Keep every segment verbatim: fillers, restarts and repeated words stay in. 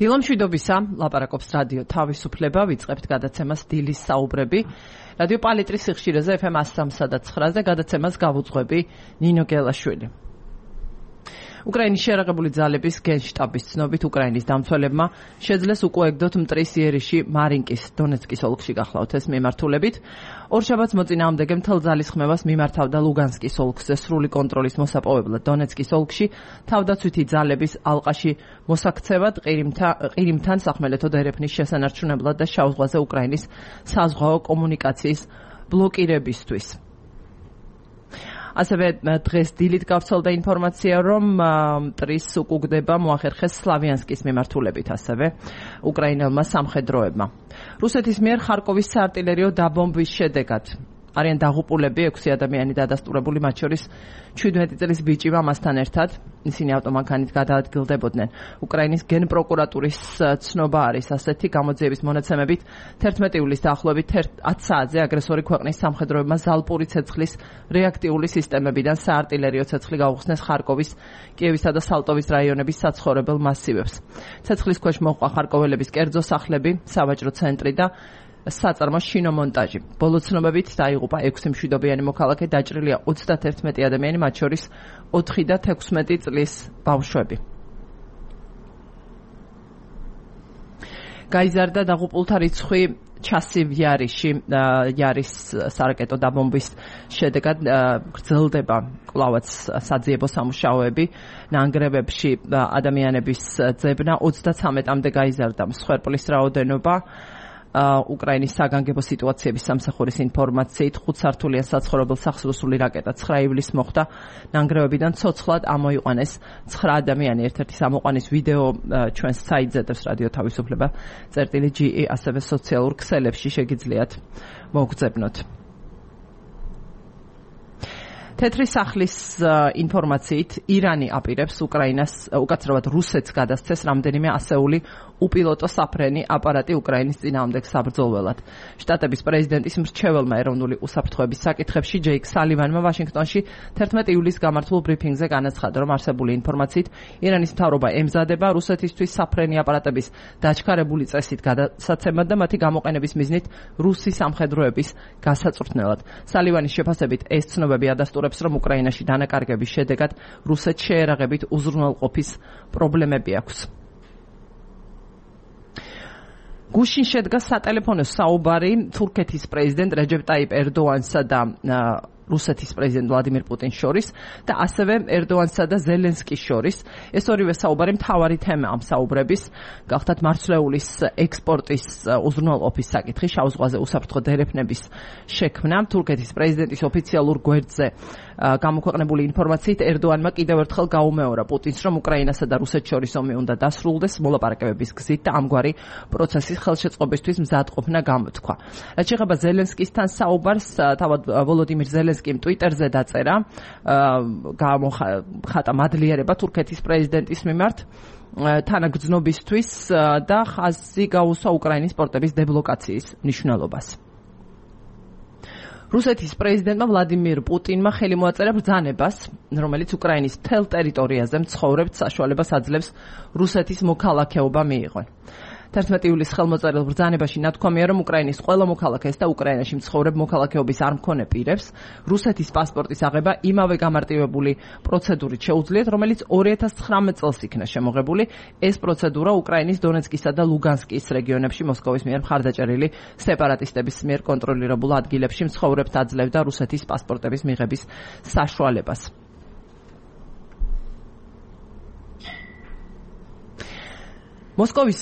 დილამშვიდობისა, ლაპარაკობს რადიო თავისუფლება, ვიწყებთ გადაცემას დილის საუბრები. რადიო პალიტრის სიხშირეზე ეფ ემ one oh three და nine-ზე გადაცემას გავუძღვები ნინო გელაშვილი. უკრაინის შეიარაღებული ძალების გენშტაბის ცნობით უკრაინის დამცველებმა შეძლეს უკვე ეგდოთ მტრის იერიში მარინკის დონეცკის ოლქში გახლავთ ეს მიმართულებით. ორშაბათს მოწინააღმდეგე მთელ ძალისხმევას მიმართავდა ლუგანსკის ოლქზე სრული კონტროლის მოსაპოვებლად დონეცკის ოლქში თავდაცვითი ძალების ალყაში მოსაქცევად ყირიმთან სახმელეთო დერეფნის შესანარჩუნებლად და შავ ზღვაზე უკრაინის საზღვაო კომუნიკაციის ბლოკირებისთვის. ასევე დღეს დილით გავრცელდა ინფორმაცია, რომ მტრის უკუგდება მოახერხეს სლავიანსკის მიმართულებით ასევე უკრაინელმა სამხედროებმა. რუსეთის მიერ ხარკოვის საარტილერიო დაბომბვის შედეგად არიან დაღუპულები ექვსი ადამიანი დადასტურებული, მათ შორის შვიდმეტი წლის ბიჭი მამასთან ერთად. ისინი ავტომანქანით გადაადგილდებოდნენ. უკრაინის გენპროკურატურის ცნობა არის ასეთი, გამოძიების მონაცემებით თერთმეტი ივლისის დაახლოებით ათ საათზე აგრესორი ქვეყნის სამხედროებმა ზალპური ცეცხლის რეაქტიული სისტემებიდან საარტილერიო ცეცხლი გაუხსნეს ხარკოვის, კიევისა და სალტოვის რაიონების საცხოვრებელ მასივებს. ცეცხლის ქვეშ მოჰყვა ხარკოველების კერძო სახლები, სავაჭრო ცენტრი და საწარმო შინომონტაჟი. ბოლო ცნობებით დაიღუპა ექვსი მშვიდობიანი მოქალაქე, დაჭრილია ოცდაერთი ადამიანი, მათ შორის ოთხი და თექვსმეტი წლის ბავშვები. გაიზარდა დაღუპულთა რიცხვი ჩასივ იარიში, იარის სარაკეტო დაბომბვის შედეგად გრძელდება კვლავაც საძიებო სამუშაოები. ნანგრევებში ადამიანების ძებნა ოცდათრამეტამდე გაიზარდა მსხვერპლის რაოდენობა. უკრაინის საგანგებო სიტუაციების სამსახურის ინფორმაციით ხუთსართულიან საცხოვრებელ სახლს რუსული რაკეტა ცხრა ივლისს მოხვდა. ნანგრევებიდან ცოცხლად ამოიყვანეს ცხრა ადამიანი. ერთ-ერთი ამოყვანის ვიდეო ჩვენს საიტზე დევს რადიო თავისუფლება წერტილი ჯი ი, ასევე სოციალურ ქსელებში შეგიძლიათ მოგძებნოთ. თეთრი სახლის ინფორმაციით ირანი აპირებს უკრაინას, უკაცრავად რუსეთს გადასცეს რამდენიმე ასეული უპილოტო საფრენი აპარატი უკრაინის წინააღმდეგ საბრძოლველად. შტატების პრეზიდენტის მრჩეველმა ეროვნული უსაფრთხოების საკითხებში ჯეიკ სალივანმა ვაშინგტონში თერთმეტი ივლისს გამართულ ბრიფინგზე განაცხადა, რომ არსებული ინფორმაციით ირანის მთავრობა ემზადება რუსეთისთვის საფრენი აპარატების დაჩქარებული წესით გადასაცემად და მათი გამოყენების მიზნით რუსი სამხედროების გასაწვრთნელად. სალივანის შეფასებით ეს ცნობები ადასტურებს, რომ უკრაინაში დანაკარგების შედეგად რუსეთს შეერაღებით უზრუნველყოფის პრობლემები აქვს. გუშინ შედგა სატელეფონო საუბარი თურქეთის პრეზიდენტ რეჯეპ ტაიპ ერდოანსა და რუსეთის პრეზიდენტ ვლადიმირ პუტინს შორის და ასევე ერდოანსა და ზელენსკის შორის. ეს ორივე საუბარი მთავარი თემა ამ საუბრების გახდათ მარცვლეულის ექსპორტის უზრუნველყოფის საკითხი, შავ ზღვაზე უსაფრთხო დერეფნების შექმნა. თურქეთის პრეზიდენტის ოფიციალურ გვერდზე გამოქვეყნებული ინფორმაციით ერდოანმა კიდევ ერთხელ გაუმეორა პუტინს, რომ უკრაინასა და რუსეთს შორის ომი უნდა დასრულდეს მოლაპარაკებების გზით და ამგვარი პროცესის ხელშეწყობისთვის მზადყოფნა გამოთქვა. რაც შეეხება ზელენსკისთან საუბარს, თავად ვოლოდიმირ ზელენსკიმ ტვიტერზე დაწერა გამოხატა მადლიერება თურქეთის პრეზიდენტის მიმართ თანაგრძნობისთვის და ხაზი გაუსვა უკრაინის პორტების დებლოკაციის მნიშვნელობას. რუსეთის პრეზიდენტმა ვლადიმირ პუტინმა ხელი მოაწერა ბრძანებას, რომელიც უკრაინის მთელ ტერიტორიაზე მცხოვრებთ საშუალებას აძლევს რუსეთის მოქალაქეობა მიიღონ. თერთმეტი ივლისს ხელმოწერილ ბრძანებაში ნათქვამია, რომ უკრაინის ყველა მოქალაქეს და უკრაინაში მცხოვრებ მოქალაქეობის არ მქონე პირებს რუსეთის პასპორტის აღება იმავე გამარტივებული პროცედურით შეუძლიათ, რომელიც ორი ათას ცხრამეტ წელს იქნა შემოღებული. ეს პროცედურა უკრაინის დონეცკისა და ლუგანსკის რეგიონებში მოსკოვის მიერ მხარდაჭერილი სეპარატისტების მიერ კონტროლირებულ ადგილებში მცხოვრებთ აძლევდა რუსეთის პასპორტების მიღების საშუალებას. მოსკოვის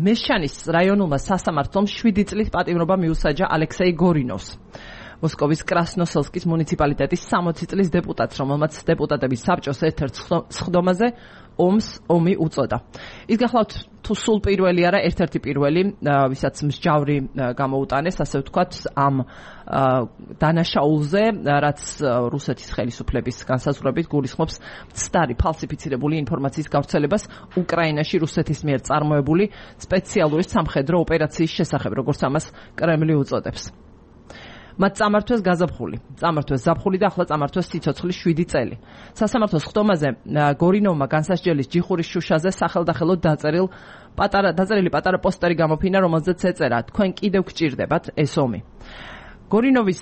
მეშჩანის რაიონულმა სასამართლომ შვიდი წლის პატიმრობა მიუსაჯა ალექსეი გორინოვს. მოსკოვის კრასნოსელსკის მუნიციპალიტეტის სამოცი წლის დეპუტატს, რომელმაც დეპუტატების საბჭოს ერთ-ერთ სხდომაზე ომს ომი უწოდა. ის გახლავთ თუ სულ პირველი არა, ერთ-ერთი პირველი, ვისაც მსჯავრი გამოუტანეს, ასე ვთქვათ, ამ დანაშაულზე, რაც რუსეთის ხელისუფლების განსაზღვრებით გულისხმობს მცდარი ფალსიფიცირებული ინფორმაციის გავრცელებას უკრაინაში რუსეთის მიერ წარმოებული სპეციალური სამხედრო ოპერაციის შესახებ, როგორც ამას კრემლი უწოდებს. მათ წამართვეს გაზაფხული, წამართვეს ზაფხული და ახლა წამართვეს სიცოცხლის შვიდი წელი. სასამართლოს ხტომაზე გორინოვმა განსასჯელის ჯიხურის შუშაზე სახელდახელოდ დაწერილ პატარა დაწერილი პატარა პოსტერი გამოფინა, რომელზეც ეწერა: თქვენ კიდევ გჭირდებათ ეს ომი. გორინოვის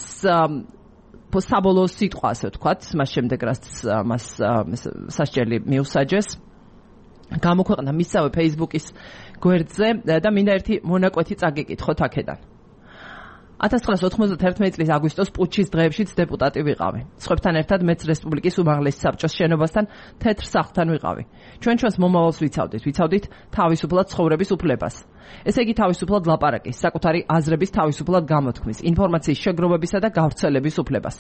საბოლოო სიტყვა, ასე ვთქვათ, მას შემდეგ რაც მას სასჯელი მიუსაჯეს, გამოქვეყნა მისსავე Facebook-ის გვერდზე და მინდა ერთი მონაკვეთი წაგიკითხოთ აქედან. ათას ცხრაასი ოთხმოცდაათი წლის აგვისტოს პუტჩის დღეებშიც დეპუტატი ვიყავი. სხვებთან ერთად მეც რესპუბლიკის უმაღლესი საბჭოს შენობასთან თეთრ სახლთან ვიყავი. ჩვენ ჩვენს მომავალს ვიცავდით, ვიცავდით თავისუფლად ცხოვრების უფლებას. ესე იგი თავისუფლად ლაპარაკის, საკუთარი აზრების თავისუფლად გამოთქმის, ინფორმაციის შეგროვებისა და გავრცელების უფლებას.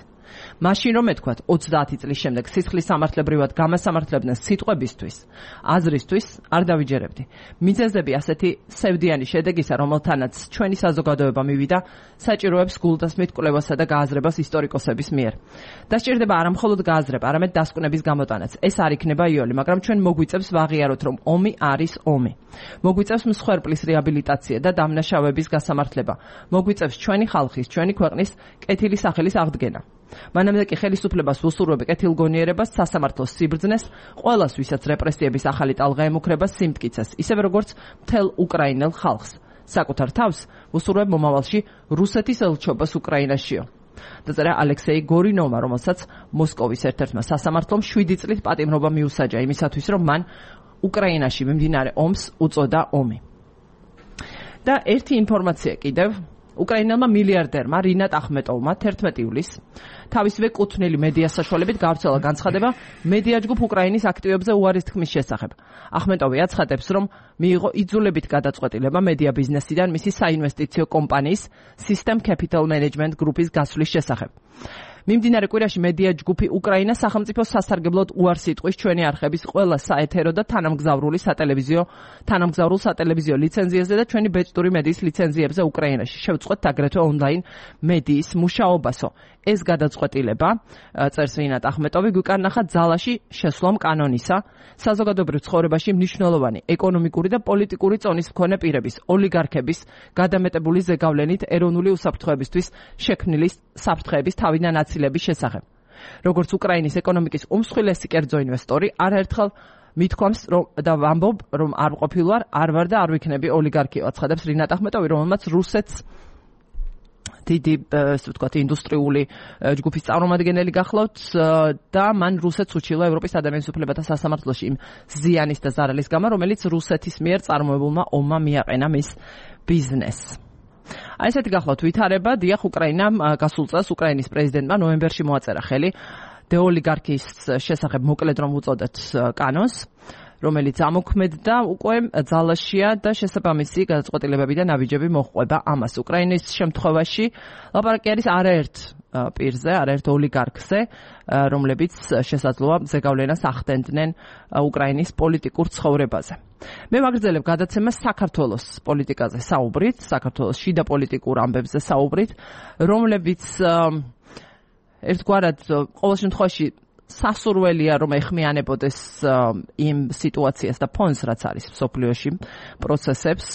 მაშინ რომ ეთქვათ ოცდაათი წლის შემდეგ სისხლის სამართლებრივად გამასამართლებდნენ სიტყვებისთვის, აზრისთვის არ დავიჯერებდი. მიზეზები ასეთი სევდიანი შედეგისა, რომელთანაც ჩვენი საზოგადოება მივიდა, საჭიროებს გულდასმით კვლევასა და გააზრებას ისტორიკოსების მიერ. დასჭირდება არა მხოლოდ გააზრება, არამედ დასკვნების გამოტანაც. ეს არ იქნება იოლი, მაგრამ ჩვენ მოგვიწევს ვაღიაროთ, რომ ომი არის ომი. მოგვიწევს მსხვერპლის რეაბილიტაცია და დამნაშავების გასამართლება. მოგვიწევს ჩვენი ხალხის, ჩვენი ქვეყნის კეთილი სახელის აღდგენა. მანამდე კი ხელისუფლებას უსურვებ კეთილგონიერებას, სასამართლოს სიბრძნეს, ყველას, ვისაც რეპრესიების ახალი ტალღა ემუქრება, სიმტკიცეს, ისევე როგორც მთელ უკრაინელ ხალხს. საკუთარ თავს უსურვებ მომავალში რუსეთის ელჩობას უკრაინაშიო. დაწერა ალექსეი გორინოვმა, რომელსაც მოსკოვის ერთ-ერთმა სასამართლომ შვიდი წლის პატიმრობა მიუსაჯა იმისათვის, რომ მან უკრაინაში მიმდინარე ომს უწოდა ომი. და ერთი ინფორმაცია კიდევ. უკრაინელმა მილიარდერმა რინატ ახმეტოვმა თერთმეტი ივლისს თავისივე კუთვნილი მედია საშუალებით გავრცელა განცხადება მედია ჯგუფ უკრაინის აქტივებზე უარის თქმის შესახებ. ახმეტოვი აცხადებს, რომ მიიღო იძულებით გადაწყვეტილება მედია ბიზნესიდან მისი საინვესტიციო კომპანიის System Capital Management Group-ის გასვლის შესახებ. მიმდინარე კვირაში მედია ჯგუფი უკრაინა სახელმწიფო სასარგებლოდ უარს იტყვის ჩვენი არხების ყველა საეთერო და თანამგზავრული სატელევიზიო თანამგზავრულ სატელევიზიო ლიცენზიაზე და ჩვენი ბეჭდური მედიის ლიცენზიებზე უკრაინაში. შევწყვეტ აგრეთვე ონლაინ მედიის მუშაობასო. ეს გადაწყვეტილება, წერს რინატ ახმეტოვი, გვიკარნახა ძალაში შესვლამ კანონისა, საზოგადოებრივ ცხოვრებაში მნიშვნელოვანი ეკონომიკური და პოლიტიკური წონის მქონე პირების, ოლიგარქების გადამეტებული ზეგავლენით ეროვნული უსაფრთხოებისთვის შექმნილი საფრთხეების თავიდან აცილების შესახებ. როგორც უკრაინის ეკონომიკის უმსხვილესი კერძო ინვესტორი, არაერთხელ მithქვამს რომ და ვამბობ, რომ არ ყოფილვარ, არ ვარ და არ ვიქნები ოლიგარქი, აცხადებს რინატ ახმეტოვი, რომელმაც რუსეთს დიდი, ასე ვთქვათ, ინდუსტრიული ჯგუფის წარმომადგენელი გახლავთ და მან რუსეთს უჩილა ევროპის ადამიანის უფლებათა სასამართლოში იმ ზიანის და ზარალის გამო, რომელიც რუსეთის მიერ წარმოებულმა ომმა მიაყენა მის ბიზნესს. აი ესეთი გახლავთ ვითარება. დიახ, უკრაინამ გასულ წელს უკრაინის პრეზიდენტმა ნოემბერში მოაწერა ხელი დეოლიგარქიის შესახებ მოკლედ რომ უწოდეთ კანონს, რომელიც ამოქმედდა უკვე ძალაშია და შესაბამისი გადაწყვეტილებები და ნაბიჯები მოჰყვება ამას. უკრაინის შემთხვევაში ლაპარაკი არის არაერთ პირზე, არაერთ ოლიგარქზე, რომლებიც შესაძლოა ზეგავლენას ახდენდნენ უკრაინის პოლიტიკურ ცხოვრებაზე. მე ვაგრძელებ გადაცემას საქართველოს პოლიტიკაზე საუბრით, საქართველოს შიდა პოლიტიკურ ამბებზე საუბრით, რომლებიც ერთგვარად ყოველ შემთხვევაში სასურველია რომ ეხმიანებოდეს იმ სიტუაციას და ფონს, რაც არის მსოფლიოში, პროცესებს,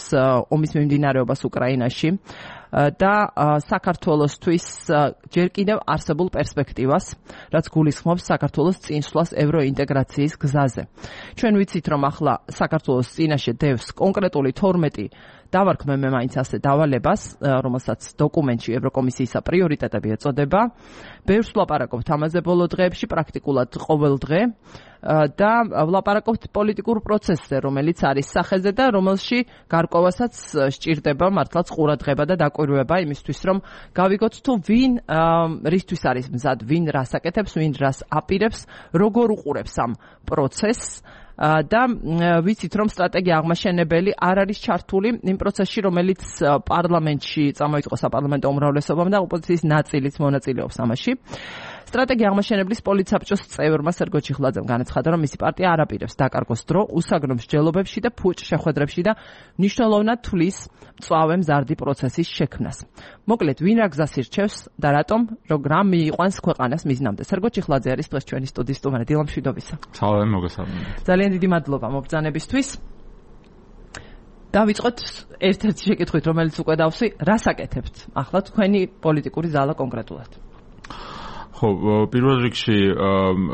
ომის მიმდინარეობას უკრაინაში და საქართველოსთვის ჯერ კიდევ არსებულ პერსპექტივას, რაც გულისხმობს საქართველოს წინსვლას ევროინტეგრაციის გზაზე. ჩვენ ვიცით, რომ ახლა საქართველოს წინაშე დევს კონკრეტული თორმეტი დავარქმე მე მაინც ასე დავალებას, რომელსაც დოკუმენტში ევროკომისიის პრიორიტეტები ეწოდება. ბევრს ვლაპარაკობთ ამაზე ბოლო დღეებში, პრაქტიკულად ყოველ დღე და ვლაპარაკობთ პოლიტიკურ პროცესზე, რომელიც არის სახეზე და რომელში გარკვევასაც სჭირდება მართლაც ყურადღება და დაკვირვება იმისთვის, რომ გავიგოთ თუ ვინ რისთვის არის მზად, ვინ რას აკეთებს, ვინ რას აპირებს, როგორ უყურებს ამ პროცესს. და ვიცით, რომ სტრატეგია აღმაშენებელი არ არის ჩართული იმ პროცესში, რომელიც პარლამენტში წამოიწყო საპარლამენტო უმრავლესობამ და ოპოზიციის ნაწილიც მონაწილეობს ამაში. სტრატეგია აღმაშენებლის პოლიტსაბჭოს წევრმა სერგო ჩიხლაძემ განაცხადა, რომ მისი პარტია არ აპირებს დაკარგოს დრო უსაგნო მსჯელობებში და ფუჭ შეხვედრებში და მნიშვნელოვნად თვლის მწვავე მზარდი პროცესის შექმნას. მოკლედ, ვინ რა გზას ირჩევს და რატომ, რამ მიიყვანს ქვეყანას მიზნამდე. სერგო ჩიხლაძე არის დღეს ჩვენი სტუდიის სტუმარი. დილა მშვიდობისა. სალამი, მოგესალმებით. ძალიან დიდი მადლობა მობრძანებისთვის. დავიწყოთ ერთ-ერთი შეკითხვით, რომელიც უკვე დავსვი, რას აკეთებთ ახლა თქვენი პოლიტიკური ზალა კონკრეტულად? ხო, პირველ რიგში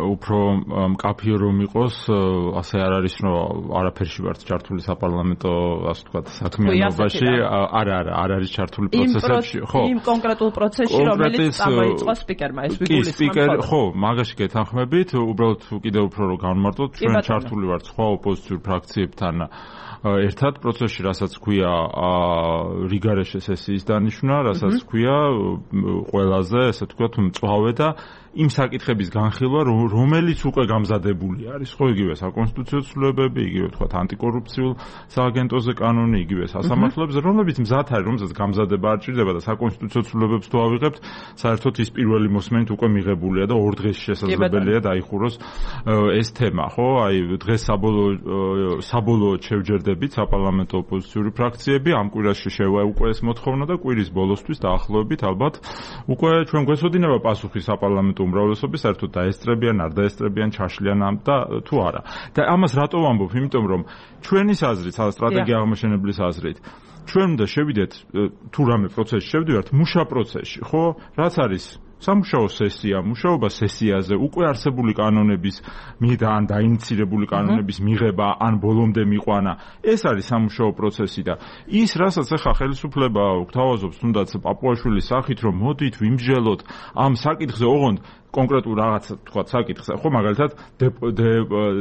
უფრო მკაფიო რომ იყოს, ასე არ არის, რომ არაფერში ვართ ჩართული საპარლამენტო, ასე ვთქვათ, საქმიანობაში, არა, არა, არ არის ჩართული პროცესებში, ხო. იმ კონკრეტულ პროცესში, რომელიც წამოიწყო სპიკერმა, ეს ვიგულისხმობ. კი, სპიკერ, ხო, მაგაში გეთანხმებით, უბრალოდ კიდევ უფრო რომ განმარტოთ, ჩვენ ჩართული ვართ სხვა ოპოზიციურ ფრაქციებთან ერთად პროცესში, რასაც ქვია რიგარეშე სესიის დანიშვნა, რასაც ქვია ყველაზე, ასე ვთქვათ, მწვავე და იმ საკითხების განხილვა, რომელიც უკვე გამზადებული არის, ხო, იგივე საკონსტიტუციო ცვლილებები, იგივე ვთქვათ ანტიკორუფციულ სააგენტოზე კანონი, იგივე სასამართლოებზე, რომლებიც მზად არის, რომელსაც გამზადება არ ჭირდება და საკონსტიტუციო ცვლილებებს თუ ავიღებთ, საერთოდ ის პირველი მოსმენით უკვე მიღებულია და ორ დღეში შესაძლებელია დაიხუროს ეს თემა, ხო? აი დღეს საბოლოო საბოლოოდ შევჯერდებით საპარლამენტო ოპოზიციური ფრაქციები, ამ კვირაში შევა უკვე ეს მოთხოვნა და კვირის ბოლოსთვის დაახლოებით ალბათ უკვე ჩვენ გვესოდინება პასუხი საპარლამენტო უმრავლესობის, საერთოდ დაესწრებიან, არ დაესწრებიან, ჩაშლიან ამ და თუ არა. და ამას რატო ვამბობ? იმიტომ რომ ჩვენის აზრით, სტრატეგია აღმაშენებლის აზრით, ჩვენ უნდა შევიდეთ თუ რამე პროცესში შევდივართ, მუშა პროცესში, ხო? რაც არის სამუშაო სესია, მუშაობა სესიაზე, უკვე არსებული კანონების მიღება ან დაინიცირებული კანონების მიღება, ან ბოლომდე მიყვანა, ეს არის სამუშაო პროცესი და ის, რასაც ახლა ხელისუფლება გვთავაზობს, თუნდაც პაპუაშვილის სახით, რომ მოდით ვიმსჯელოთ ამ საკითხზე, ოღონდ კონკრეტულ რაღაც თქვა საკითხზე, ხო, მაგალითად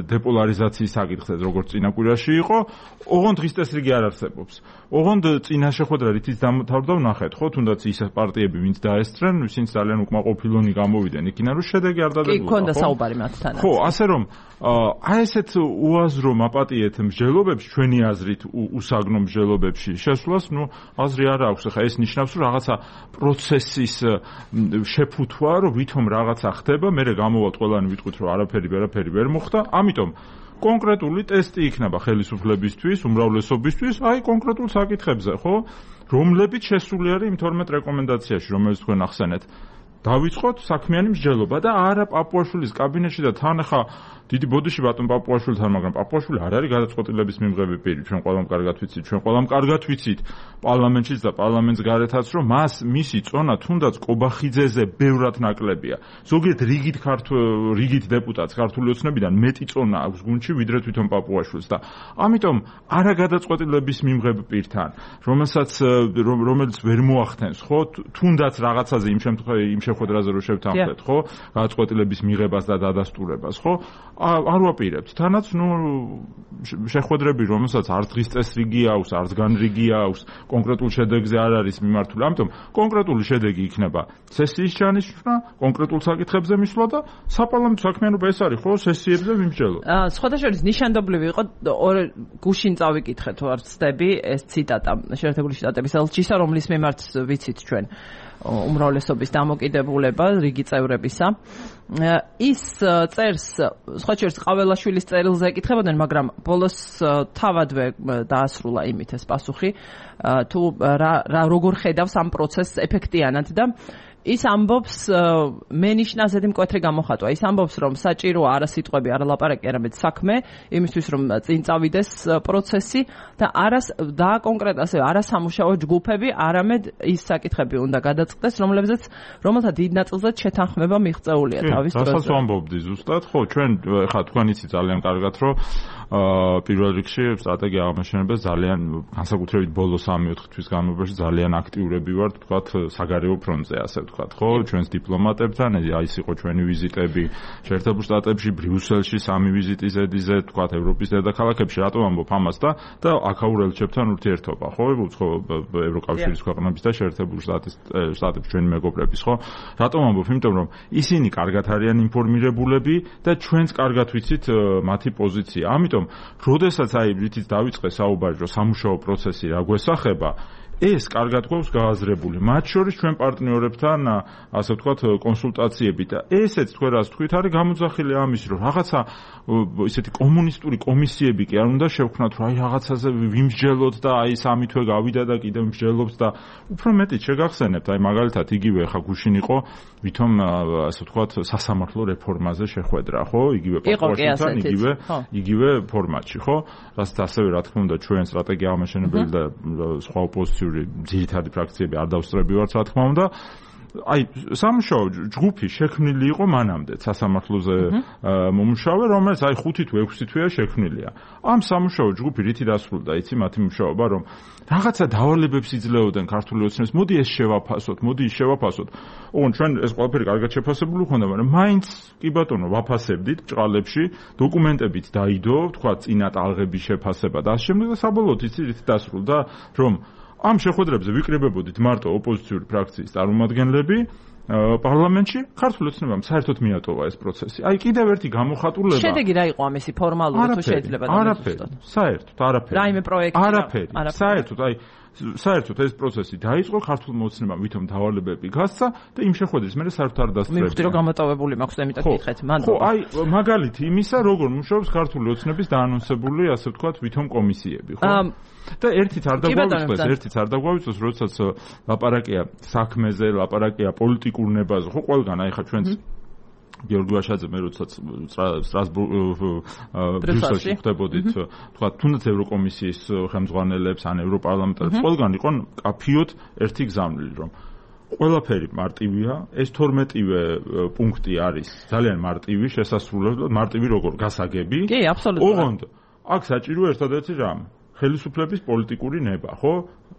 დეპოლარიზაციის საკითხზე, როგორც წინა კვირაში იყო, ოღონდ დღის წესრიგი არ არსებობს. ოღონდ წინა შეხვედრა რითიც დამთავრდა, ვნახეთ, ხო, თუნდაც ის პარტიები, ვინც დაესწრენ, ვინც ძალიან უკმაყოფილონი გამოვიდნენ, იქიდან რომ შედეგი არ დადებულა. კი, ქონდა საუბარი მათთანაც. ხო, ასე რომ აი ესეთ უაზრო მაპატიეთ მსჯელობებში, ჩვენი აზრით უსაგნო მსჯელობებში შესვლას, ნუ აზრი არ აქვს. ახლა ეს ნიშნავს, რომ რაღაცა პროცესის შეფუთვა, რომ ვითომ რაღაცა ხდება, მერე გამოვალთ ყველანი ვიტყვით, რომ არაფერი ვერაფერი ვერ მოხდა, ამიტომ კონკრეტული ტესტი იქნება ხელისუფლებისთვის, უმრავლესობისთვის, აი კონკრეტულ საკითხებზე, ხო? რომლებიც შესული არის იმ თორმეტ რეკომენდაციაში, რომელიც თქვენ ახსენეთ. დავიწყოთ საქმიანი მსჯელობა და არა პაპუაშვილის კაბინეტში და თან ახლა დიდი ბოდიში ბატონ პაპუაშვილთან, მაგრამ პაპუაშვილი არ არის გადაწყვეტილების მიმღები პირი, ჩვენ ყველამ კარგად ვიცით, ჩვენ ყველამ კარგად ვიცით პარლამენტშიც და პარლამენტს გარეთაც, რომ მას მისი წონა თუნდაც კობახიძეზე ბევრად ნაკლებია. ზოგიერთ რიგით ქართულ რიგით დეპუტატს ქართული ოცნებიდან მეტი წონა აქვს გუნდში, ვიდრე თვითონ პაპუაშვილს და ამიტომ არა გადაწყვეტილების მიმღებ პირთან, რომელსაც რომელიც ვერ მოახდენს, ხო, თუნდაც რაღაცაზე იმ შემთხვევაში იმ შეხვედრაზე რო შევთანხმდეთ, ხო, გადაწყვეტილების მიღებას და დადასტურებას, ხო? არ ვაპირებთ. თანაც ნუ შეხვედრები, რომელსაც არც დღის წესრიგი აქვს, არც განრიგი აქვს, კონკრეტულ შედეგზე არ არის მიმართული. ამიტომ კონკრეტული შედეგი იქნება სესიის ჩანიშვნა, კონკრეტულ საკითხებზე მისვლა და საპარლამენტო საქმიანობა ეს არის, ხო, სესიებზე მიმსჯელო. აა, სხვადასხვა ნიშანდობლივი იყო ორ გუშინ წავიკითხე თუ არ ვცდები, ეს ციტატა შეერთებული შტატების ელჩისა, რომლის მიმართ ვიცით ჩვენ უმრავლესობის დამოკიდებულება რიგი წევრებისა. ის წერს, სხვა შორის ყაველაშვილის წერილზე ეკითხებოდნენ, მაგრამ ბოლოს თავადვე დაასრულა იმით ეს პასუხი, თუ რა როგორ ხედავს ამ პროცესს ეფექტიანად და ის ამბობს, მე ნიშნაზედი მკვეთრი გამოხატვა. ის ამბობს, რომ საჭიროა არა სიტყვები, არა ლაპარაკი, არამედ საქმე, იმისთვის რომ წინ წავიდეს პროცესი და არა და კონკრეტ ასე არა სამუშაო ჯგუფები, არამედ ის საკითხები უნდა გადაწყდეს, რომლებზეც რომელთა დიდ ნაწილზე შეთანხმება მიღწეულია თავის დროზე. რასაც ვამბობდი ზუსტად, ხო, ჩვენ ხა თქვენ იცით ძალიან კარგად, რომ აა პირველ რიგში სტრატეგია აღმაშენებელს ძალიან განსაკუთრებით ბოლო სამი-ოთხი თვის განმავლობაში ძალიან აქტიურები ვართ, თქვათ, საგარეო ფრონტზე, ასე ვთქვათ, ხო, ჩვენს დიპლომატებთან, აი ეს იყო ჩვენი ვიზიტები შეერთებულ შტატებში, ბრიუსელში სამი ვიზიტი ზედიზე, თქვათ, ევროპის დედაქალაქებში, რატომ ამბობ ამას და და აქაურ ელჩებთან ურთიერთობა, ხო, უცხო ევროკავშირის ქვეყნების და შეერთებული შტატის შტატების ჩვენი მეგობრების, ხო? რატომ ამბობ? იმიტომ რომ ისინი კარგად არიან ინფორმირებულები და ჩვენც კარგად ვიცით მათი პოზიცია. ამიტომ როდესაც აი რითიც დავიწყე საუბარი, რომ სამუშაო პროცესი რა გვესახება, ეს კარგად გვაქვს გააზრებული. მათ შორის ჩვენ პარტნიორებთან, ასე ვთქვათ, კონსულტაციები და ესეც თქვენ რას თქვით, არის გამოძახილი ამის, რომ რაღაცა ისეთი კომუნისტური კომისიები კი არ უნდა შევქმნათ, რომ აი რაღაცაზე ვიმსჯელოთ და აი სამი თვე გავიდა და კიდევ მსჯელობს და უფრო მეტიც შეგახსენებთ, აი მაგალითად იგივე ხა გუშინ იყო ვითომ ასე ვთქვათ სასამართლო რეფორმაზე შეხვედრა, ხო? იგივე პარლამენტთან, იგივე იგივე ფორმატში, ხო? რასაც ასევე რა თქმა უნდა ჩვენ სტრატეგია აღმაშენებელი და სხვა ოპოზიციური ძირითადი ფრაქციები არ დავსწრებივართ, რა თქმა უნდა. აი სამუშაო ჯგუფი შექმნილი იყო მანამდე სასამართლოზე მომუშავე, რომელიც აი ხუთი თუ ექვსი თვეა შექმნილია. ამ სამუშაო ჯგუფი რითი დასრულდა, იცი მათი მუშაობა, რომ რაღაცა დავალებებს იძლეოდნენ ქართული ოცნებს, მოდი ეს შევაფასოთ, მოდი ის შევაფასოთ. ოღონდ ჩვენ ეს ყველაფერი კარგად შეფასებული ხონდა, მაგრამ მაინც კი ბატონო ვაფასებდით ჭყალებში, დოკუმენტებით დაიდო, თქვა წინა ტალღების შეფასება და ამ შემდეგ და საბოლოოდ იცი რითი დასრულდა, რომ ამ შეხვედრებზე ვიკრიბებოდით მარტო ოპოზიციური ფრაქციის წარმომადგენლები პარლამენტში, ქართული ოცნებამ საერთოდ მიატოვა ეს პროცესი. აი კიდევ ერთი გამოხატულება. შედეგი რა იყო ამისი ფორმალური თუ შეიძლება დამოუკიდებლად? საერთოდ არაფერი. რაიმე პროექტი? არაფერი. საერთოდ აი საერთოდ ეს პროცესი დაიწყო, ქართულმა ოცნებამ ვითომ დავალებები გასცა და იმ შეხვედრის მერე საერთოდ არ დასწრებია. მივხვდი რომ გამოტოვებული მაქვს და იმიტომ გითხეთ, მანდ. ხო, აი მაგალითი იმისა, როგორ მუშაობს ქართული ოცნების დაანონსებული, ასე ვთქვათ, ვითომ კომისიები, ხო? და ერთიც არ დაგვავიწყდეს, ერთიც არ დაგვავიწყდეს, როდესაც ლაპარაკია საქმეზე, ლაპარაკია პოლიტიკურ ნებაზე, ხო, ყველგან აი ხა ჩვენც გიორგი ვაშაძე მე როდესაც ბრიუსელში ხდებოდით, თქვა თუნდაც ევროკომისიის ხელმძღვანელებს ან ევროპარლამენტარებს, ყველგან იყო კაფიოთ ერთი გზავნილი, რომ ყველაფერი მარტივია, ეს თორმეტივე პუნქტი არის ძალიან მარტივი, შესასრულებლად, მარტივი როგორ გასაგები. კი, აბსოლუტურად. ოღონდ აქ საჭიროა ერთადერთი რამ, ხელისუფლების პოლიტიკური ნება, ხო?